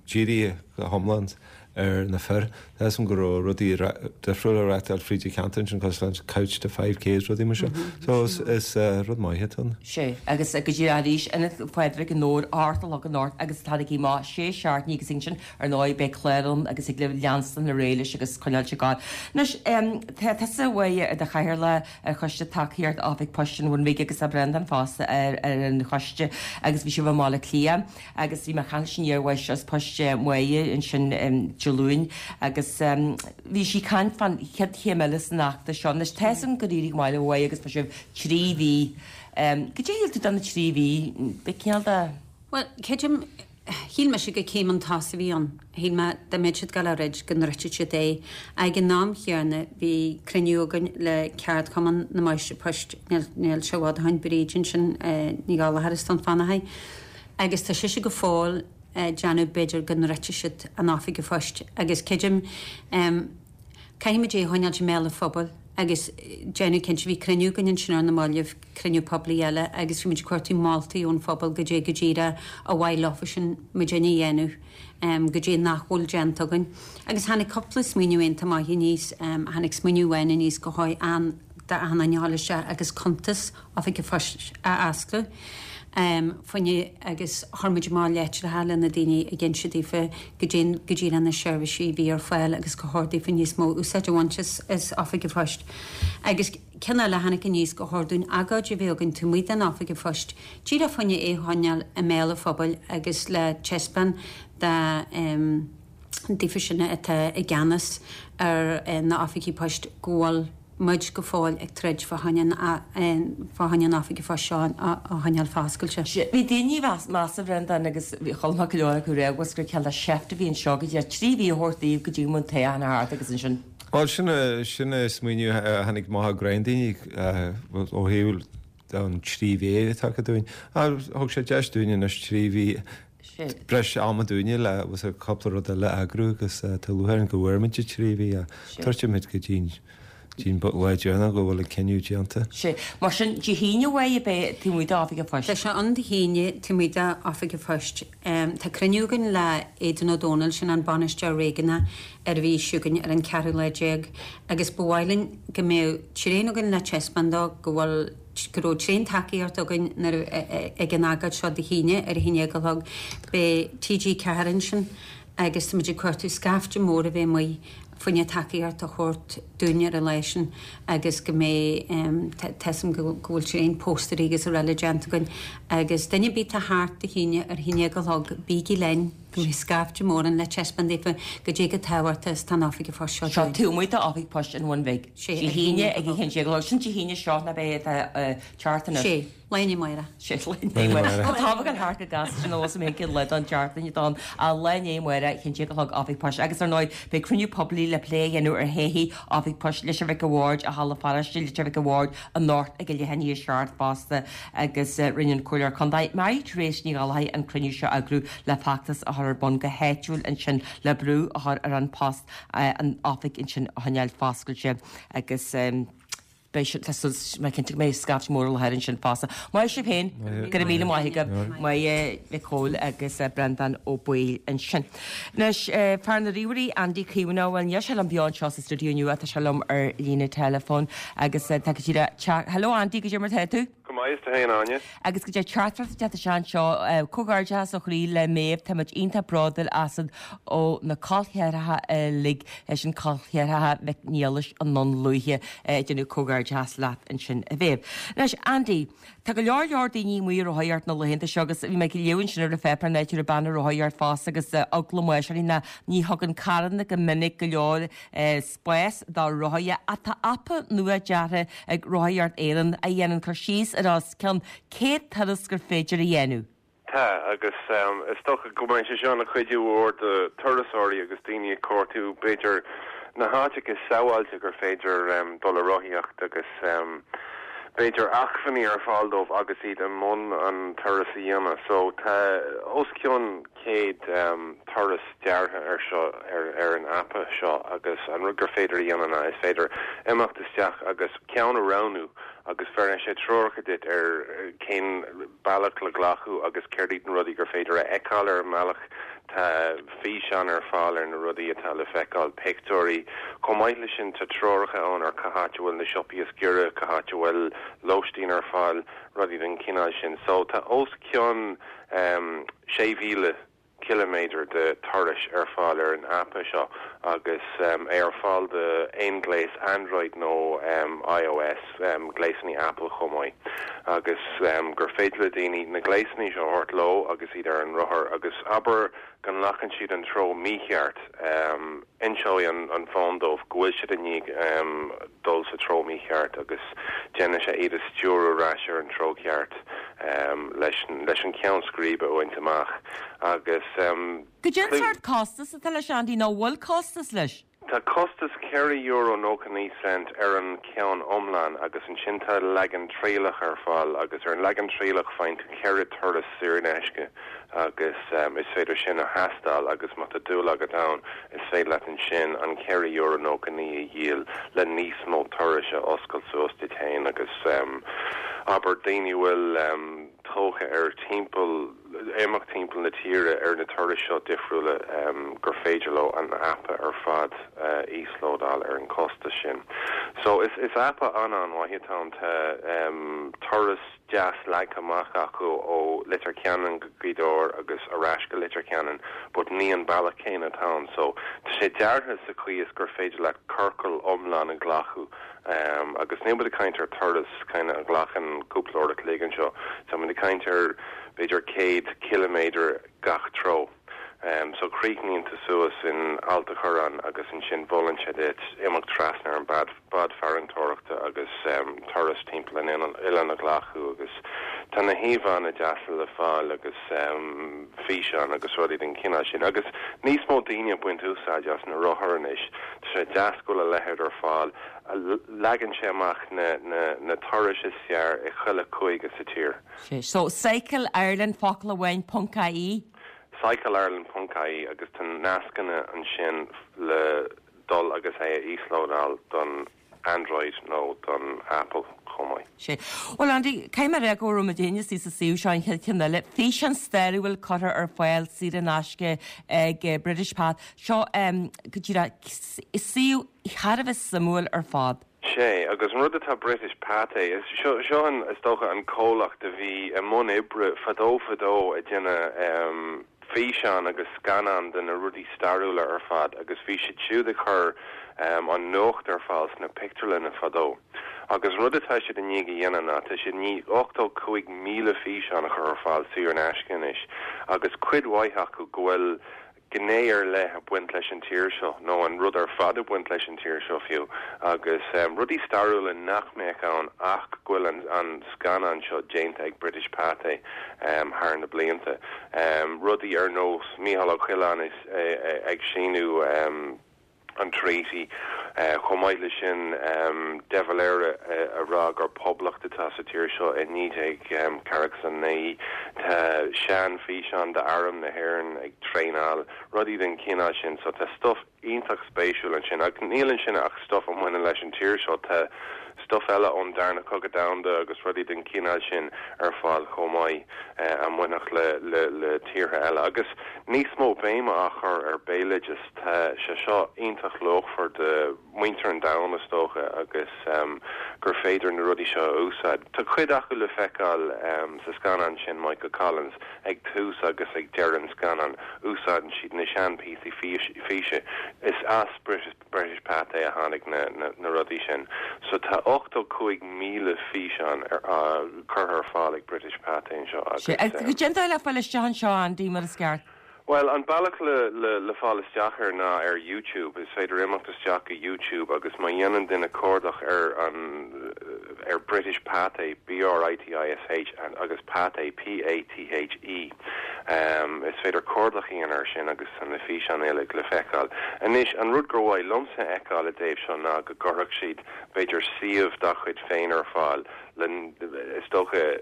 dírithe go hiomlán ar na fir. Tá 'fhios a'm go raibh rudaí difriúla á reáchtáil fríd an cheantar ansin cosúil le Couch to 5K is rudaí mar seo. So is rud maith atá ann. Sea, agus go díreach arís, Ionad Phádraig i nDobhar, 8 a chlog anocht agus taraigí amach sé seachtainí agus ansin Ar ndóigh, beidh clár ann agus thig libh leanstan ar aghaidh leis agus coinneáil ag gabháil. Anois, tá tusa uaidh i do chathaoirleach ar Choiste Tacaíochta Oifig Poist an Bhun Bhig agus tá Breandán fosta ar ar an choiste agus bhí sibh i mBaile Átha Cliath agus bhí mé ag caint leis an iar-mháistreás poist Máire ansin Dé Luain agus bhí sí ag caint fán chéad chéim eile san fheachtas seo. Anois, tá 'fhios agam gur éirigh go maith libh Mháire agus tá sibh 3 mhí. Goidé a shíl tú de na 3 mhí? B'é cineál de. Bhuel, creidim, Shíl mise gur céim chun tosaigh a bhí ann. Shíl mé dá mbeadh siad ag dul a throid go ndruidfeadh siad é. Ag an am chéanna bhí cruinniú againn le ceardchumann na Máistrí Poist, níl sé i bhfad ó shin, Bríd ansin, Ní Ghallchóir as Dún Fionnachaidh, agus tá sise go fóill ag déanamh b'fhéidir go ndruidfeadh siad an oifig phoist agus creidim, Caithfimid é a choinneáilt i mbéal an phobail agus déanamh cinnte, bhí cruinniú againn ansin ar na mallaibh, cruinniú poiblí eile agus bhí muid ag cuartú moltaí ón phobal goidé go díreach ar mhaith leofasan muidinne a dhéanamh, goidé nach bhfuil déanta againn. Agus tháinig cúpla smaoineamh iontach maith aníos, tháinig smaoineamh amháin aníos go chóir d'achan duine a ghabháil isteach agus cuntas oifig an phoist a osclú fá choinne agus chuir muid amach leitreacha le na daoine ag inse daofa goidé go díreach na seirbhísí a bhí ar fáil agus gur chóir daofa níos mó úsáid a bhaint as oifig an phoist. Agus ceann eile a tháinig aníos gur chóir dúinn agóid a bheith againn taobh amuigh den oifig an phoist díreach fá choinne é a choinneáil i mbéal an phobail agus le taispeáint do daofa sin atá i gceannas ar na oifigí poist go bhfuil muid go fóill ag troid fá choinne an fá choinne an oifig phoist seo a choinneáil foscailte. Bhí daoine ag meas a Bhreandáin agus bhí chuala mé go leor acu ag rá gur cineál de sheift a bhí anseo go dtí 3 mhí a thabhairt daoibh go dtí go mbeadh an toghchán thart agus ansin. Bhuel sin sin é smaoineamh a tháinig amach ó roinnt daoine ó thaobh an 3 mhí atá acu dúinn. Thug sé deis dúinn anois 3 mhí breis ama dúinne le cúpla rud eile a eagrú agus tá lúcháir orainn go bhfuair muid an 3 mhí ach troidfimid go dtí an lá deireanach go bhfuil an cinneadh déanta. Sea. Mar sin, Dé hAoine uaidh a beidh taobh amuigh d'Oifig an Phoist. Tá sé ann Dé hAoine taobh amuigh d'Oifig an Phoist. Tá cruinniú againn le Aidan Ó Dónaill, sin an Bainisteoir Réigiúnach ar an mhí seo chugainn ar an cheathrú lá déag agus ba mhaith linn go mbeadh tréan againn le taispeáint dó go bhfuil go raibh tréan tacaíocht againn nuair a ag an agóid seo Dé hAoine ar a haon déag a chlog. Beidh TG4 ansin agus táimid ag cuartú scaifte mór a bheith amuigh fá choinne tacaíocht a thabhairt dúinn ar an lá sin agus go mbeidh tá 'fhios a'm go bhfuil tréan póstairí agus araile déanta againn agus duine ar bith atá thart Dé hAoine ar a haon déag a chlog bígí linn go mbeidh scaifte mór ann le taispeáint daofa goidé chomh tábhachtach is atá an oifig phoist seo Seo dúinn. taobh amuigh d'Oifig Poist an Bhun Bhig. Sé, Dé hAoine ag a haon déag a chlog. Sin Dé hAoine seo ná beidh atá teacht anois. Sé, lá i ndiaidh amárach. Sé, lá i ndiaidh amárach. Tá tábhacht an thart go gasta sin anuas mé cén lá don tseachtain atá ann. Ach lá i ndiaidh amárach, haon déag a chlog Oifig Poist. Agus ar ndóigh, beidh cruinniú poiblí le plé a dhéanamh ar thodhchaí Oifig Poist Leitir Mhic a' Bhaird i Halla Pharóiste Leitir Mhic a' Bhaird anocht ag a leath i ndiaidh a 7 fosta agus rinne an Comhairleoir Contae Mary Therese Ní Ghallchóir an cruinniú seo a eagrú le feachtas a chur ar bun go háitiúil ansin le brú a chur ar An Post an oifig ansin a choinneáil foscailte agus. Beidh sé, tá súil, mé cinnte go mbeidh scaifte mór i láthair ansin fosta. Maith sibh féin, go raibh míle maith agaibh. Maith Mhic Cóil agus Breandán Ó Baoill ansin. Anois, fear na ríomhairí, Andy Caomhánach, bhuel níl sé liom beo anseo sa stiúideo inniu ach tá sé liom ar líne teileafóin agus tá go díreach, Hello Andy, goidé mar tá tú? Go maith, is tú féin, Áine? Agus goidé teachtaireacht ag teacht isteach anseo, comhghairdeachas ó chroí le Méabh, táimid iontach bródúil asat ó na col cheathracha uilig, sin col cheathracha Mhic Niallais i nDún Lúiche ag déanamh comhghairdeachas leat ansin a Mhéabh. Anois Andy, tá go leor leor daoine amuigh ag rothaíocht na laethanta seo agus bhí mé ag léamh ansin ar an pháipéar an áit a raibh bean ag rothaíocht fosta agus eagla máis uirthi ná ní thugann carranna go minic go leor spás do rothaithe ach tá aip nua deartha ag Rothaíocht Éireann a dhéanann cur síos ar os cionn 100 turas gur féidir a dhéanamh. Tá, agus is dócha go mbeidh sé seo ina chuidiú mhór do turasóirí agus daoine ag cuartú, b'fhéidir, na háiteacha is sábháilte gur féidir dul a rothaíocht agus b'fhéidir acmhainní ar fáil dóibh agus iad i mbun an turas a dhéanamh. So tá os cionn 100 turas deartha ar seo, ar an aip seo agus an rud gur féidir a dhéanamh ná is féidir imeacht isteach agus ceann a roghnú agus bheireann sé treoracha duit ar cén bealach le glacadh agus céard iad na rudaí gur féidir a fheiceáil ar an mbealach. Tá físeáin ar fáil ar na rudaí atá le feiceáil, pictiúirí. Chomh maith leis sin tá treoracha ann ar cá háit a bhfuil na siopaí is giorra, cá háit a bhfuil lóistín ar fáil, rudaí den chineál sin. So tá os cionn 6,000 ciliméadar de turais ar fáil ar an aip seo agus é ar fáil do aon ghléas Android nó iOS, gléasanna Apple chomh maith, agus gur féidir le daoine na gléasanna seo a thabhairt leo agus iad ar an rothar agus abair go nglacann siad an treo mícheart, inseoidh an fón dóibh go bhfuil siad i ndiaidh dul sa treo mícheart agus déanfaidh sé iad a stiúradh ar ais ar an treo ceart leis an ceann scríbe a bhaint amach agus. Goidé an sórt costas atá leis Andy, nó an bhfuil costas leis? Tá costas €4.99 ar an cheann iomlán agus ansin tá leagan trialach ar fáil agus ar an leagan trialach faigheann tú ceithre turas saor in aisce agus is féidir sin a thástáil agus má tá dúil agat ann is féidir leat ansin an €4.99 a dhíol le níos mó turais a oscailt suas duit féin agus abair daoine a bhfuil tógtha ar timpeall imeacht timpeall na tíre ar na turais seo difriúla gur féidir leo an aip ar fad a íoslódáil ar an costas sin. So is is aip an-an-mhaith atá ann. Tá turas deas leagtha amach acu ó Leitir Ceanainn go Gaoth Dobhair agus ar ais go Leitir Ceanainn but ní an bealach céanna atá ann. So tá sé deartha sa chaoi is gur féidir leat ciorcal iomlán a ghlacadh Agus níl muid ag caint ar turas kind of a ghlacann cúpla uair a chloig anseo, tá muid ag caint ar b'fhéidir 100 ciliméadar gach treo. So críochnaíonn tú suas in Ailt a' Chorráin agus ansin mholann sé duit imeacht trasna ar an bád farantóireachta agus turas timpeall an oileáin a ghlacadh agus tá na híomhánna deasa le fáil agus físeáin agus rudaí den chineál sin. Agus níos mó daoine ag baint úsáid as na rothair anois. Tá sé deas go bhfuil a leithéid ar fáil. Leagann sé amach na turais is fearr i chuile cúige sa tír. So, Cycle Ireland, focal amháin, ponc IE. Cycle Ireland ponc IE agus tá nascanna ansin le dul agus é a íoslódáil don Android nó don Apple chomh maith. Sea. Bhuel, Andy, caithfidh mé a rá go raibh muid féin istigh sa suíomh seo an chéad cheann eile. Físeán stairiúil curtha ar fáil saor in aisce ag British Pathé. Seo go díreach suíomh thar a bheith suimiúil ar fad. Sea, agus an rud atá British Pathé, is seo, seo an, is dócha, an comhlacht a bhí i mbun oibre fadó fadó ag déanamh físeán agus scannán de na rudaí stairiúla ar fad agus bhí siad siúd ag cur an nuacht ar fáil sna pictiúrlanna fadó. Agus an rud atá siad i ndiaidh a dhéanamh ná tá siad i ndiaidh 85,000 físeán a chur ar fáil saor in aisce anois agus cuid mhaith acu go bhfuil gné ar leith ag baint leis an tír seo, nó an rud ar fad ag baint leis an tír seo fiú, agus rudaí stairiúla nach mbeadh ann ach go bhfuil an scannán seo déanta ag British Pathé thar na blianta. Rudaí ar nós Mícheál Ó Coileáin ag síniú an Treaty. Chomh maith leis sin, De Valera a rá gur poblacht atá sa tír seo i 1949. Tá sean físeán d'Arm na hÉireann ag traenáil, rudaí den chineál sin. So tá stuff. iontach spéisiúil ansin ach níl ansin ach stuff a mbaineann leis an tír seo, tá stuff eile ón Darna Cogadh Domhanda agus rudaí den chineál sin ar fáil chomh maith a mbainfeadh le le le tíortha eile. Agus níos mó béime á chur ar béaloideas, tá sé seo iontach luachmhar do mhuintir an domhain is dócha agus gur féidir na rudaí seo a úsáid. Tá cuid acu le feiceáil sa scannán sin, Michael Collins, ag tús agus ag deireadh an scannáin úsáideann siad na sean píosaí físe. Is as British British Pathé a tháinig na na rudaí sin. So tá 85,000 físeán curtha ar fáil ag British Pathé anseo agus. Cén dóigh le fáil isteach anseo Andy mar is ceart? Bhuel, an bealach le le fáil isteach air ná ar YouTube. Is féidir imeacht isteach go YouTube agus má dhéanann duine cuardach ar an ar British Pathé, B-R-I-T-I-S-H, agus Pathé, P-A-T-H-E, is féidir cuardach a dhéanamh air sin agus tá na físeáin uilig le feiceáil. Anois, an rud gur mhaith liomsa a fheiceáil i dtaobh seo ná go gcuirfeadh siad, b'fhéidir, suíomh dá chuid féin ar fáil le, is dócha,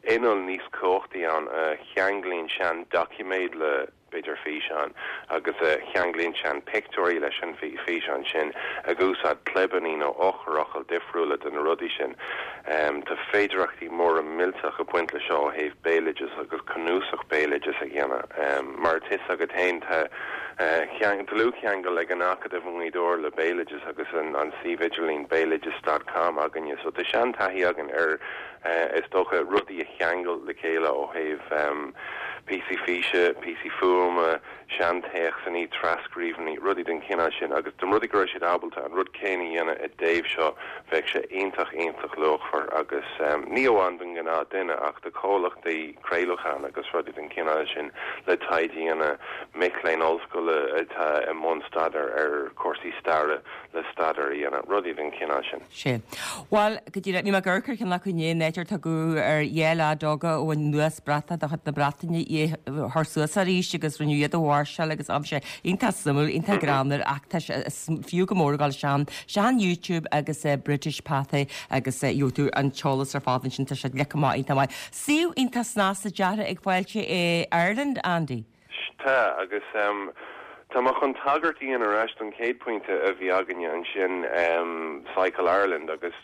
inneall níos cumhachtaí ann a cheanglaíonn sean doiciméad le, b'fhéidir, físeán agus a cheanglaíonn sean pictiúirí leis an bhfíseán sin, ag úsáid clibeanna nó eochairfhocail difriúla do na rudaí sin. Tá féidearthachtaí móra millteach ag baint le seo ó thaobh béaloideas agus cnuasach béaloideas a dhéanamh. Mar atá fhios agat féin, tá dlúthcheangal ag an Acadamh i nGaoth Dobhair le béaloideas agus an suíomh idirlín béaloideas dot com againne, so tá sean taithí againn ar is dócha, rudaí a cheangal le chéile ó thaobh píosaí físe, píosaí fuaime, seantéacsanna, tras-scríbhinní, rudaí den chineál sin. Agus dá mba rud é go raibh siad ábalta an rud céanna a dhéanamh i dtaobh seo, bheadh sé iontach, iontach luachmhar agus ní amháin don ghnáth duine ach do chomhlachtaí craolacháin agus rudaí den chineál sin le taighde a dhéanamh, mic léinn ollscoile atá i mbun staidéir ar chúrsaí staire le staidéar a dhéanamh, rudaí den chineál sin. Sea. Bhuel, go díreach, bhí mé ag amharc ar cheann acu inné, an áit ar tugadh ar dhá leaid óga a bhain anuas bratach de chuid na Breataine é a chur suas arís agus rinneadh iad a mháirseáil agus bhí sé iontach suimiúil, iontach greannmhar ach tá sé, is fiú go mór a dhul isteach ar YouTube agus British Pathé agus gheobhaidh tú an t-eolas ar fad ansin, tá sé leagtha amach iontach maith. Suíomh iontach snasta deartha ag Fáilte Ireland, Andy. Tá, agus tá mé chun tagairt a dhéanamh ar ais don chéad pointe a bhí againne ansin, Cycle Ireland, agus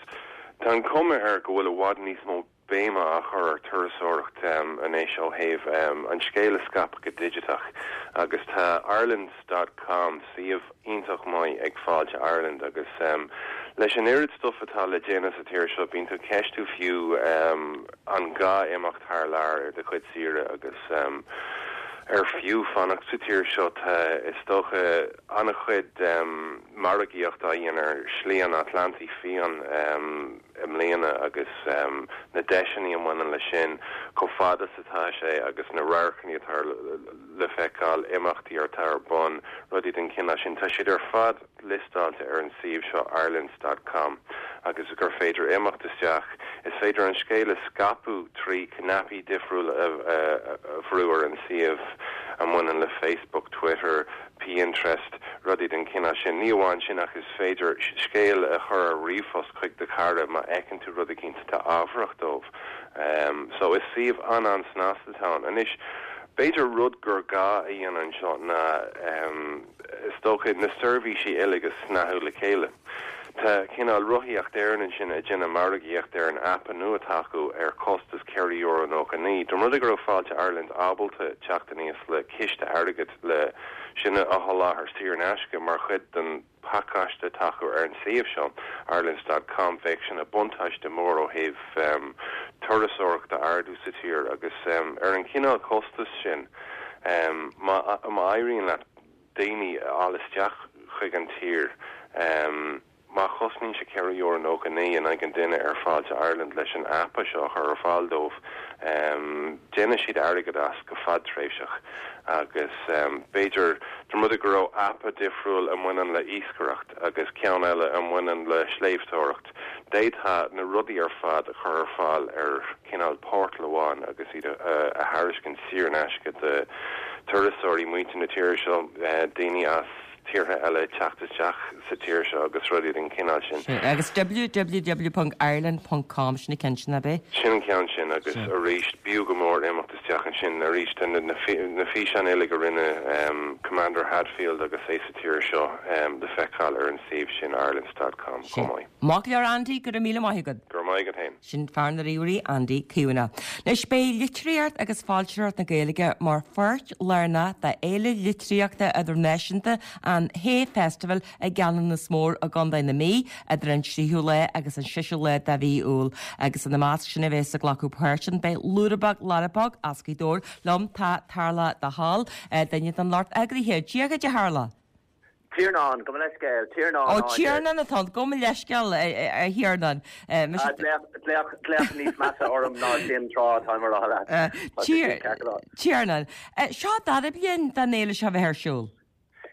tá an cuma air go bhfuil i bhfad níos mó béime á chur ar turasóireacht anois ó thaobh an scéal a scaipeadh go digiteach agus tá Ireland dot com, suíomh iontach maith ag Fáilte Ireland agus leis an oiread stuff atá le déanamh sa tír seo bíonn tú ag ceistiú fiú an gá imeacht thar lear ar do chuid saoire agus ar fiú fanacht sa tír seo. Tá, is dócha, an-chuid margaíocht á dhéanamh ar Shlí an Atlantaigh Fiáin i mbliana agus na deiseanna a mbaineann leis sin, chomh fada is atá sé agus na radharcanna atá le feiceáil, imeachtaí atá ar bun, rudaí den chineál sin. Tá siad ar fad liostáilte ar an suíomh seo Irelands dot com agus gur féidir imeacht isteach. Is féidir an scéal a scaipeadh trí cnaipí difriúla a bhrú ar an suíomh a mbaineann le Facebook, Twitter, Pinterest, rudaí den chineál sin. Ní amháin sin ach is féidir scéal a chur ar ríomhphost chuig do chara má fheiceann tú rud eicínt atá ábharach dóibh. So is suíomh an-an-snasta atá ann. Anois, b'fhéidir rud gur gá a dhéanamh anseo ná is dócha na seirbhísí uilig a shnoíodh le chéile. Tá cineál Rothaíocht Éireann ansin ag déanamh margaíocht ar an aip nua atá acu ar chostas €4.99. Dá mba rud é go raibh Fáilte Ireland ábalta teacht aníos le ciste airgid le sin a sholáthar saor in aisce mar chuid den phacáiste atá acu ar an suíomh seo, Irelands dot com, bheadh sin ina buntáiste mór ó thaobh turasóireacht a ardú sa tír agus ar an chineál costais sin má éiríonn leat daoine a fháil isteach chuig an tír. Má chosnaíonn sé €4.99 in aghaidh an duine ar Fáilte Ireland leis an aip seo a chur ar fáil dóibh, déanfaidh siad airgead as go fadtréimhseach. Agus b'fhéidir, dá mba rud é go raibh aip difriúil a mbaineann le iascaireacht agus ceann eile a mbaineann le sléibhteoireacht, d'fhéadfá na rudaí ar fad a chur ar fáil ar chineál portal amháin agus iad a thairiscint saor in aisce do thurasóirí, muintir na tíre seo, daoine as. tíortha eile teacht isteach sa tír seo agus rudaí den chineál sin. Sea, agus www ponc ireland ponc com, sin an ceann sin, ab é? Sin an ceann sin agus arís b'fhiú go mór imeacht isteach ansin arís tá na físeáin uilig a rinne Commander Hadfield agus é sa tír seo le feiceáil ar an suíomh sin irelands dot com chomh maith. Maith go leor Andy, go raibh míle maith agat. Go raibh maith agat féin. Sin fear na ríomhairí, Andy Caomhánach. Anois beidh litríocht agus foilsitheoireacht na Gaeilge mar pháirt lárnach d'Fhéile Litríochta Idirnáisiúnta an Hay Festival i gCeanannas Mór i gContae na Mí idir an 3ú lá agus an 6ú lá de mhí Iúil. Agus ina measc sin a bheas ag glacadh páirt ann beidh Lúrabóg Larabóg as Gaoth Dobhair. Liom tá Tarlach de hAll, duine den lucht eagraithe. Dia dhuit a Tharlaigh! Tiarnán, gabh mo leithscéal, Tiarnán Ó, Tiarnán atá ann, gabh mo leithscéal, a Thiarnáin. Glaoch, glaoch níos measa orm ná sin tráth, táim a rá leat. Tiarnán. Seo an dara bliain den fhéile seo a bheith ar siúl.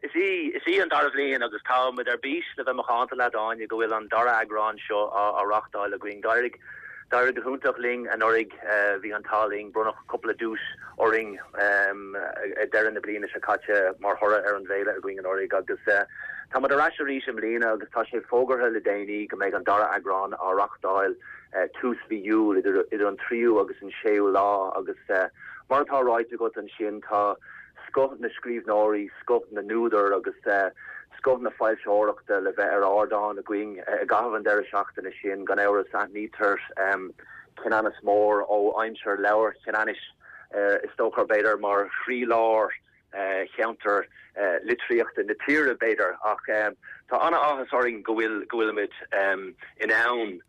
Is í, is í an dara bhliain agus tá muid ar bís le bheith macánta leat, Áine, go bhfuil an dara eagrán seo á reáchtáil againn. D'éirigh, d'éirigh go hiontach linn anuraidh, bhí an t-ádh linn, bronnadh cúpla duais orainn ag deireadh na bliana seo caite mar thoradh ar an bhféile againn anuraidh agus tá muid ar ais arís i mbliana agus tá sé fógartha le déanaí go mbeidh an dara eagrán á reáchtáil tús mhí Iúil, idir an tríú agus an séú lá agus mar atá ráite agat ansin tá scoth na scríbhneoirí, scoth na n-údar agus scoth na foilsitheoireachta le bheith ar ardán againn i gcaitheamh an deireadh seachtaine sin. Gan amhras aithnítear Ceanannas Mór ó aimsir Leabhar Cheanannais, is dócha, b'fhéidir, mar chroílár cheantar litríochta na tíre, b'fhéidir, ach tá an-áthas orainn go bhfuil, go bhfuilimid in ann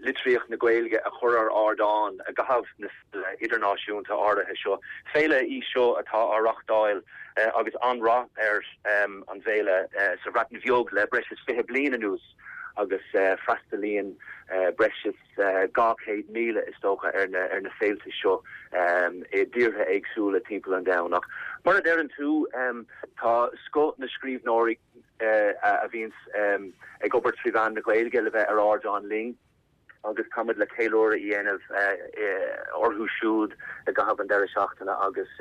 litríocht na Gaeilge a chur ar ardán i gcaitheamh na féile idirnáisiúnta áirithe seo. Féile í seo atá á reáchtáil agus an-rath ar an bhféile sa Bhreatain Bheag le breis is 20 bliain anuas. agus freastalaíonn breis is 200,000 is dócha ar na féilte seo i dtíortha éagsúla timpeall an domhain. Ach mar a deireann tú, tá scoth na scríbhneoirí a bhíonns ag obair trí mheán na Gaeilge le bheith ar ardán linn. agus táimid le ceiliúradh a dhéanamh orthu siúd i gcaitheamh an deireadh seachtaine agus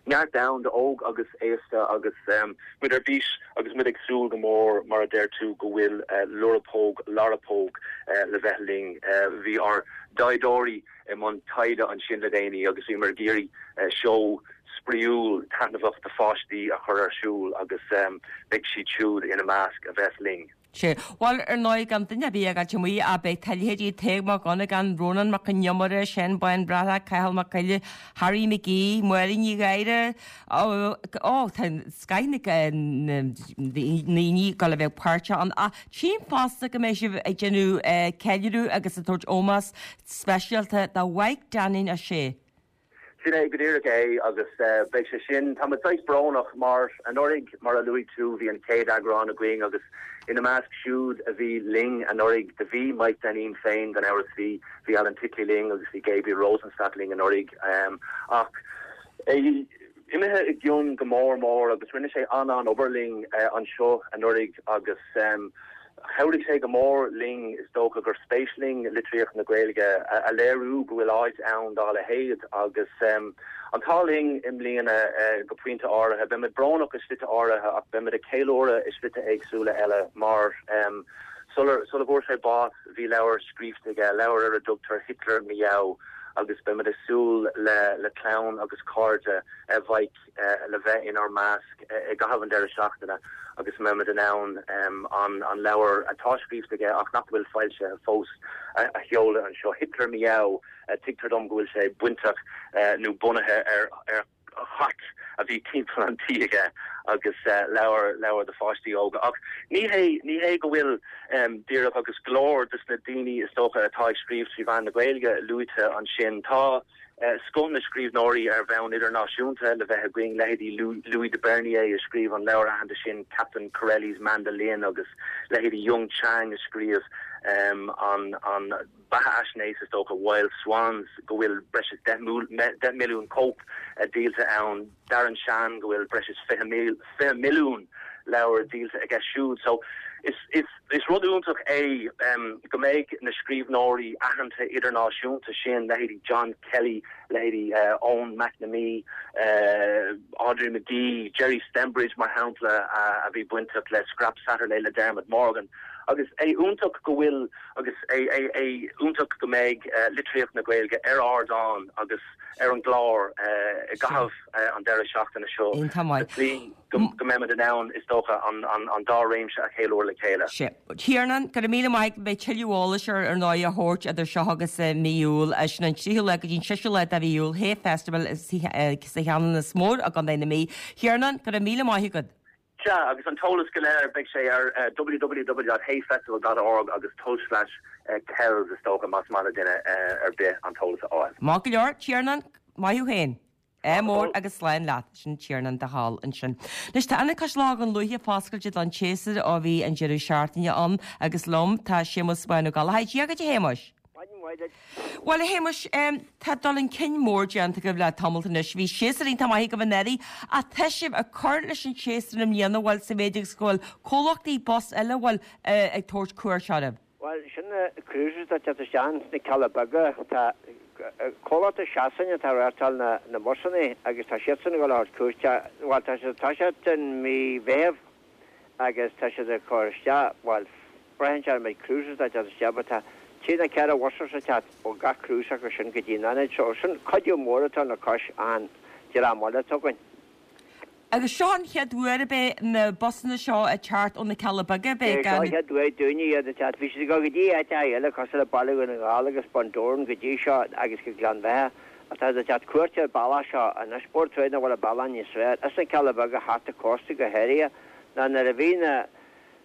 neart ann d'óg agus aosta agus muid ar bís agus muid ag súil go mór mar a deir tú go bhfuil Lúrabóg Larabóg le bheith linn. Bhí ár dtaighdeoirí i mbun taighde ansin le déanaí agus bhíomar ag iarraidh seó spraíúil taitneamhach do pháistí a chur ar siúl agus beidh siad siúd ina measc a bheas linn. Sea. Bhuel, ar ndóigh, gan duine ar bith a fhágáilt amuigh, ach beidh leithéidí Tadhg Mac Dhonnagáin, Rónán Mac Con Iomaire, Seán Bán Breathnach, Cathal Mac Coille, Harry McGee, Máire Ní Ghadhra, ó, ó, tá scoth na ndaoine ag dul a bheith páirteach ann. Ach tchím fosta go mbeidh sibh ag déanamh ceiliúradh agus ag tabhairt ómós speisialta do Mhaidhc Dainín Ó Sé. Sin é go díreach é agus beidh sé sin, tá muid saghas brónach mar anuraidh, mar a luaigh tú, bhí an chéad eagrán againn agus ina measc siúd a bhí linn anuraidh do bhí Mike Dainín féin gan amhras, bhí, bhí Alan Titley linn agus bhí Gabriel Rosenstock linn anuraidh ach é imithe i gcion go mór mór agus rinne sé an-an-obair linn anseo anuraidh agus Chabhraigh sé go mór linn, is dócha gur spéis linn litríocht na Gaeilge a léiriú go bhfuil áit ann dá leithéid agus an t-ádh linn i mbliana go pointe áirithe. Beimid brónach i slite áirithe ach beimid ag ceiliúradh i slite éagsúla eile mar sular sula bhfuair sé bás bhí leabhar scríofa aige, leabhar ar a dtugtar Hitler Miaow agus beimid ag súil le le clann agus cairde Mhaidhc le bheith inár measc i gcaitheamh an deireadh seachtaine agus go mbeimid in ann an leabhar atá scríofa aige ach nach bhfuil foilsithe fós a sheoladh anseo. Hitler Miaow, tuigtear dom go bhfuil sé bainteach nó bunaithe ar chat a bhí timpeall an tí aige agus leabhar leabhar do pháistí óga. Ach ní hé ní hé go bhfuil díreach agus go leor de na daoine is dócha atá ag scríobh trí mheán na Gaeilge luaite ansin. Tá Scoth na scríbhneoirí ar bhonn idirnáisiúnta le bheith againn, leithéidí Louis de Bernières a scríobh an leabhar aitheanta sin Captain Corelli's Mandolin agus leithéidí Jung Chang a scríobh an beathaisnéis is dócha Wild Swans go bhfuil breis is 10 milliún cóip díolta ann, Darren Shan go bhfuil breis is 20 milliún leabhar díolta aige siúd. So. Is is is rud iontach é go mbeidh na scríbhneoirí aitheanta idirnáisiúnta sin, leithéidí John Kelly, leithéidí Eoin McNamee, Audrey McGee, Gerry Stembridge mar shampla a bhí bainteach le Scrap Saturday le Dermot Morgan. Agus é iontach go bhfuil agus é é é iontach go mbeidh litríocht na Gaeilge ar ardán agus ar an gclár i gcaitheamh an deireadh seachtaine seo Iontach maith. sa tslí go mbeimid in ann, is dócha, an dá réimse a cheiliúradh le chéile. Sea. Tiarnán, go raibh míle maith agat. Beidh tuilleadh eolais ar ar ndóigh á thabhairt idir seo agus mí Iúil. Sin an 3ú lá go dtí an 6ú lá de mhí Iúil, Hay Festival sa Cheanannas Mór i gContae na Mí. Tiarnán, go raibh míle maith agat. Sea, agus an t-eolas go léir, beidh sé ar www.hayfestival dot org agus tulslais Kells is dócha, más maith le duine ar bith an t-eolas a fháil. Maith go leor, Tiarnán, maith thú féin. Ádh mór agus slán leat. Sin Tiarnán de Hál ansin. Anois tá Ionad Cois Locha Dhún Lúiche foscailte don tséasúr ó bhí an deireadh seachtaine ann agus liom tá Séamus Bán Ó Gallchóir. Dia dhuit a Shéamuis. Maidin mhaith duit. Bhuel, a Shéamuis, tá dul chun cinn mór déanta agaibh le tamalt anois. Bhí séasúr iontach maith agaibh anuraidh ach tá sibh ag cur leis an séasúr i mbliana, bhuel, sa mhéid agus go bhfuil comhlachtaí bus eile, bhuel, ag tabhairt cuairt oraibh. Bhuel, sin na cruises atá ag teacht isteach sna Cealla Beaga. Tá comhlacht i Sasain atá ag reáchtáil na mbusanna agus tá siadsan ag dul a thabhairt cuairte, bhuel, tá siad ag toiseacht in mí Mheithimh agus tá siad ag cur isteach, bhuel, braitheann sé ar an méid cruises atá ag teacht isteach but tá trí nó ceithre bhus ag teacht ó gach cruise acu sin go dtí an ionad so sin cuidiú mór atá le cois an dream eile atá againn. Agus seo an chéad uair ab é na busanna seo ag teacht ó na Cealla Beaga ab é É seo an chéad uair dúinne iad ag teacht. Bhí siad ag dul go dtí áiteacha eile cosúil le Baile Dhún na nGall agus Bun Dobhráin go dtí seo agus go Gleann Bheatha ach tá siad ag teacht cuairt ar an bealach seo anois. Bord Troigh nach bhfuil an bealach níos fearr as na Cealla Beaga thart an cósta go háirithe ná nuair a bhí na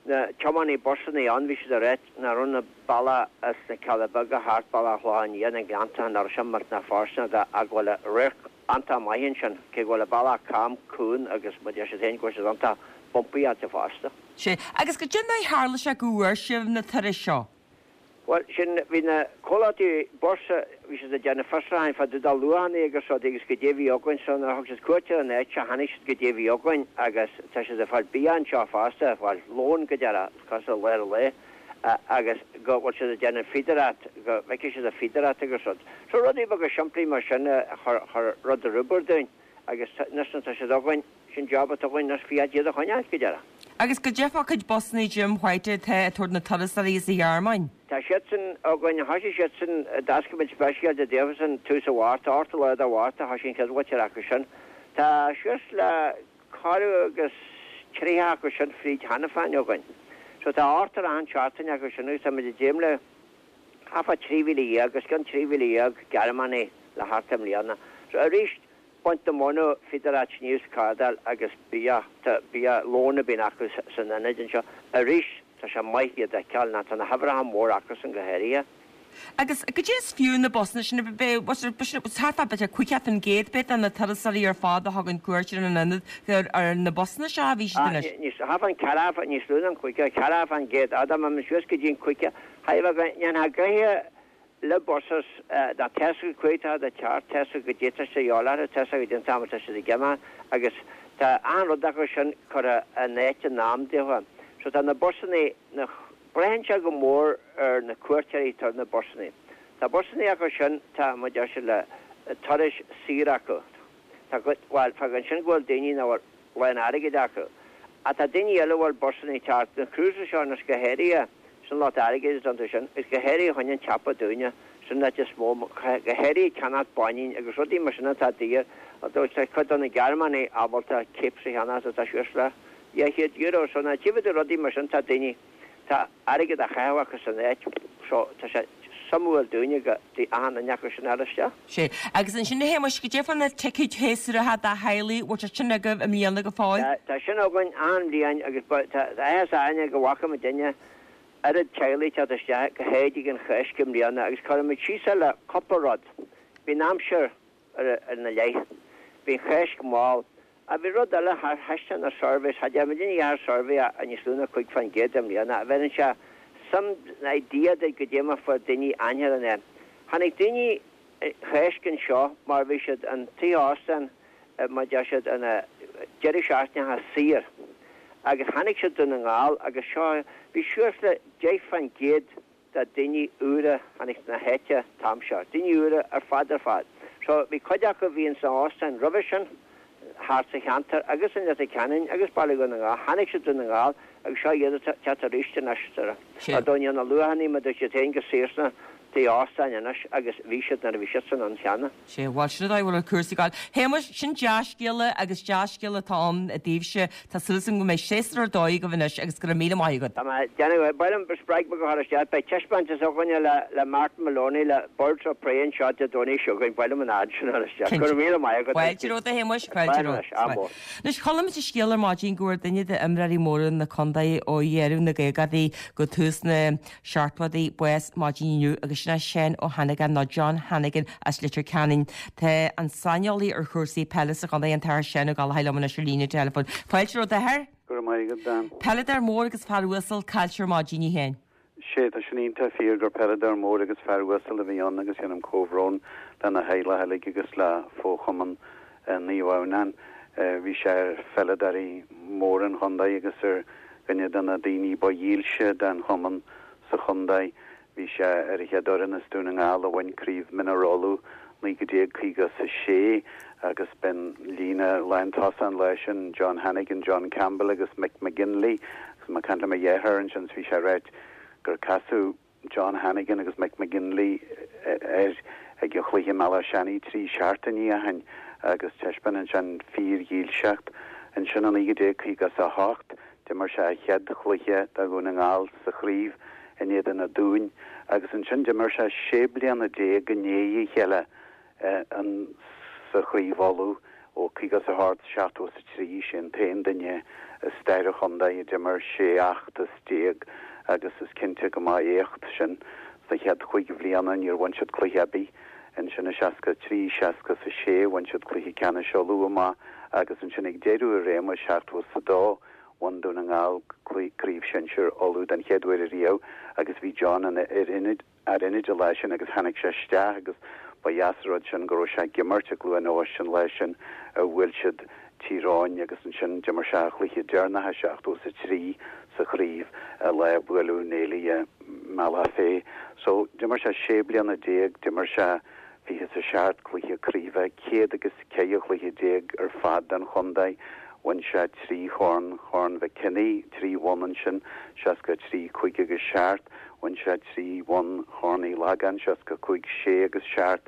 na tiománaí busanna ann bhí siad ag ráit nach raibh na bealach as na Cealla Beaga thart bealach Chlocháin Liath na Gleannta nach raibh sin millteanach fóirsteanach dó ach go bhfuil radharc iontach maith ansin cé go bhfuil an bealach cam cúng agus mar deir siad féin go bhfuil siad iontach bumpy iontu fosta. Sea, agus goidé mar a tharla sé go bhfuair sibh na turais seo? Bhuel, sin, bhí na comhlachtaí bus, bhí siad ag déanamh fiosrúcháin fá dtaobh de luachanna agus rudaí agus goidé a bhí againn so nuair a thug siad cuairt ar an áit seo chonaic siad goidé a bhí againn agus tá siad ag fáil bia anseo fosta, bhuel, lón go deireadh, cosúil le lár an lae agus go bhfuil siad ag déanamh fíodóireacht, go bhfeicfidh siad an fíodóireacht agus rud. So rudaí beaga simplí mar sin a chuir rud ar obair dúinn agus anois nuair atá siad againn, Sin job atá againn anois fiach iad a choinneáil, go deireadh. Agus goidé fá chuid busanna Jim White atá ag tabhairt na turasóirí as an Ghearmáin? Tá siadsan againn, thoisigh siadsan, d'oscail muid speisialta daofasan tús an Mhárta, 8ú lá de Mhárta thoisigh an chéad mhuintir acu sin. Tá suas le corradh agus 30 acu sin fríd cheana féin againn. So tá ochtar achan seachtain acu sin agus tá muid ag dréim le thart fá 13,000, os cionn 13,000 Gearmánaigh le theacht i mbliana. So arís, Baint na móna, fíodóireacht sníomh 's cardáil agus bia, tá bia, lón a bíonn acu san ionad anseo. Arís, tá sé maith iad a fheiceáil ná tá na huimhreacha mór acusan go háirithe. Agus goidé is fiú na busanna sin, thart fá b'fhéidir 50% b'fhéidir de na turasóirí ar fad a thugann cuairt ar an ionad gur ar na busanna seo a bhí siad anois. Níos, thart fán ceathracha, níos lú ná an 50, 40%, dá mbeadh suas go dtí an 50, thaobh go ndéanfadh gnoithe Le buses, tá tá's acu cá huair atá siad ag teacht, tá's acu goidé atá siad a dhíobháil orthu, tá's acu goidé an t-am atá siad ag imeacht agus tá achan rud acu sin curtha in áit in am daofa. So tá na busannaí, na, braitheann sé go mór ar na cuairteoirí atá ar na busannaí. Tá busannaí acu sin, tá, mar deir siad, le turais saor acu. Tá cuid, bhuel, fágann sin go bhfuil daoine nach bhfuil lán airgid acu. Ach tá daoine eile a bhfuil busannaí ag teacht, na cruises seo anois go háirithe, sin lot airgid atá iontu sin, agus go háirithe chun an tsiopa dúinne, sin an áit is mó, go háirithe ceannacht báinín agus rudaí mar sin atá daor, although tá cuid de na Gearmánaigh ábalta capes a cheannacht atá suas le €200, so na taobh de rudaí mar sin tá daoine. Tá airgead á chaitheamh acu san áit so tá sé suimiúil dúinne go dtig achan duine acu sin a fháil isteach. Sea. Agus ansin a Shéamuis, goidé fá na ticéid shéasúracha do theaghlaigh, bhfuil sé sin agaibh i mbliana go fóill? Tá, tá sin againn achan bhliain agus ba, tá áthas orainne go bhfaca muidinne oiread teaghlaigh teacht isteach go háirithe ag an Cháisc i mbliana agus cuirfidh muid síos é le cúpla rud. Bhí an aimsir ar, ina leith. Bhí an Cháisc mall. Ach bhí rud eile, thaispeáin na surveys, cha dtearn muidinne a dhath ar survey ach níos lú ná 5% i mbliana, a bheireann sé some idea duit goidé mar fuair daoine aithne ar an áit. Tháinig daoine Cháisc anseo mar bhí siad an tigh óstán mar deir siad ina deireadh seachtaineacha saor. Agus tháinig siad Dún na nGall agus seo, bhí suas le 10% de daoine úra tháinig na háite an t-am seo, daoine úra ar fad ar fad. So bhí cuid acu a bhí ins na óstáin roimhe sin thart sa cheantar agus in Leitir Ceanainn agus Baile Dhún na nGall, tháinig siad Dún na nGall agus seo iad ag teacht arís anois sa Ar dóigh níl na luachannaí mar dúirt siad féin go saor sna tí óstáin anois agus bhí siad nuair a bhí siadsan ann cheana. Sea, bhuel, sin an dóigh a bhfuil cúrsaí ag gabháil. Shéamuis, sin dea-scéala agus dea-scéala atá ann daoibhse. Tá súil agam go mbeidh séasúr ar dóigh agaibh anois agus go raibh míle maith agat. Tá mé ag déanamh, ba mhaith liom, spreag mé go chur isteach, beidh taispeántas againne le le Martin Maloney le Birds of Prey anseo Dé Domhnaigh seo chugainn, ba mhaith liom an ad sin a chur isteach. Go raibh míle maith agat. Fáilte romhat a Shéamuis, fáilte romhat. Ádh mór. Anois, chuala muid an scéal ar maidin go bhfuair duine d'imreoirí móra na contae ó dheireadh na gcaogaidí go tús na seachtóidí bás maidin inniu agus sin é Seán Ó hAnnagáin nó John Hannigan as Leitir Ceanainn. Tá an saineolaí ar chúrsaí peile sa chontae, an tAthair Seán Ó Gallchóir liom anois ar líne teileafóin. Fáilte romhat, a Athair. Go raibh maith agat, Dan. Peileadóir mór agus fear uasal caillte ar maidin, a Sheáin. Sé, tá sin iontach fíor gur peileadóir mór agus fear uasal a bhí ann agus dhéanaim comhbhrón lena theaghlach uilig agus le fo-chumann Naomh Adhamhnáin. Bhí sé ar pheileadóirí móra an chontae agus ar dhuine de na daoine ba dhílse den chumann sa chontae. Bhí sé ar an chéad fhoireann as Dún na nGall a bhain Craobh Mionúir Uladh 1956 agus b'in líne lántosach an lá sin, John Hannigan, John Campbell agus Mick McGinley. Agus mé ag caint le mo dheartháir ansin bhí sé ag ráit gur casadh John Hannigan agus Mick McGinley air ag an chluiche i mBealach Seanaidh 3 seachtainí ó shin agus taispeánann sin fíordhílseacht. Ansin i 1958 d'imir sé a chéad chluiche do Dhún na Ngall sa chraobh in éadan na Dúin agus ansin d'imir sé 16 bliana i ndiaidh a chéile sa Chraobh Uladh ó 58, 73, sé an t-aon duine i stair an chontae a d'imir 16 fheachtas agus is cinnte go mba éacht sin. Sna chéad chúig bhliana níor bhain siad cluiche ar bith. Ansin i 63, 66 bhain siad cluiche ceannais Uladh amach agus ansin ag deireadh a réime, 72, bhain Dún na nGall Craobh Shinsir Uladh den chéad uair ariamh agus bhí John ina fhear ionaid. fhear ionaid an lá sin agus tháinig sé isteach agus ba dheas an rud sin go raibh sé ag imirt i gCluain Eois an lá sin a bhuail siad Tír Eoghain agus ansin d'imir sé a chluiche deireanach i 73 sa chraobh an lá a buaileadh Néilidh i mBealach Féich. So d'imir sé 16 bliana, d'imir sé 27 cluiche craoibhe, 114 chluiche ar fad don chontae. Bhain sé 3 chorn, Chorn Mhic Cionnaith, 3 bhonn ansin, 63, 5 agus 7. Bhain sé 3 bhonn Chorn Uí Lagáin, 65, 6 agus 7.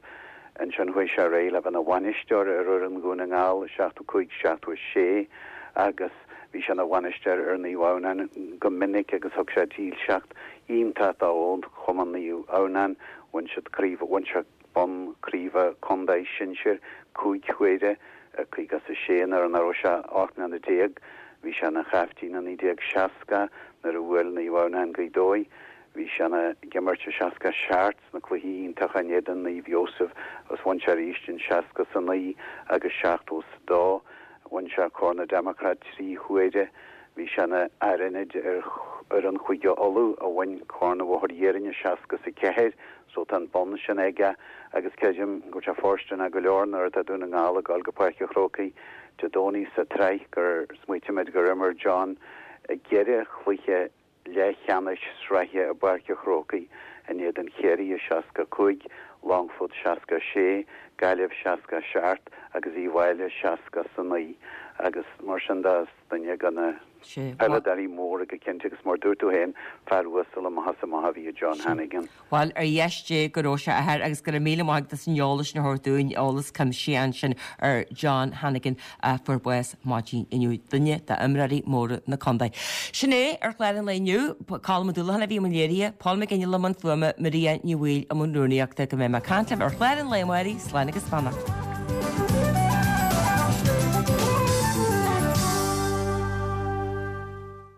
Ansin chuaigh sé ar aghaidh le bheith ina bhainisteoir ar fhoireann Dhún na nGall i 75, 76 agus bhí sé ina bhainisteoir ar Naomh Adhamhnáin go minic agus thug sé dílseacht iontach do Chumann Naomh Adhamhnáin. Bhain siad craobh, bhain sé bonn craoibhe contae sinsir 5 huaire i 56 nuair a raibh sé 18 mbliana. Bhí sé ina chaiftín i 1960 nuair a bhuail Naomh Adhamhnáin Gaoth Dobhair. Bhí sé ina ag imirt i 67 sna cluichí iontacha in éadan Naomh Iósaf agus bhain sé arís in 69 agus 72. Bhain sé Corn na Democrat 3 huaire. Bhí sé ina fhear ionaid ar fhoireann Chúige Uladh a bhain Corn an Bhóthair Iarainn i 64 so tá an bonn sin aige agus creidim go bhfuil sé fóirsteanach go leor nuair atá Dún na nGall ag dul go Páirc an Chrócaigh Dé Domhnaigh sa tsraith gur smaoitímid gur imir John i gceithre chluiche leathcheannais sraithe i bPáirc an Chrócaigh in éadan Chiarraí i 65, Longfort 66, Gaillimh 67 agus Uíbh Fhailí 69 agus mar sin de is duine de na peileadóirí móra go cinnte agus mar dúirt tú féin fear uasal amach is amach a bhí i John Hannigan. Bhuel, ar dheis Dé go raibh sé, a Athair, agus go raibh míle maith agat as an eolas sin a thabhairt dúinn, eolas cuimsitheach ansin ar John Hannigan a fuair bás maidin inniu, duine d'imreoirí móra na contae. Sin é ar chlár an lae inniu. Colm Ó Dúlacháin a bhí i mbun léirithe, Paul McGinley i mbun fuaime, Maria Ní Bhaoill i mbun rúnaíochta. Go mbeidh mé ag caint libh ar chlár an lae amárach, slán agus beannacht.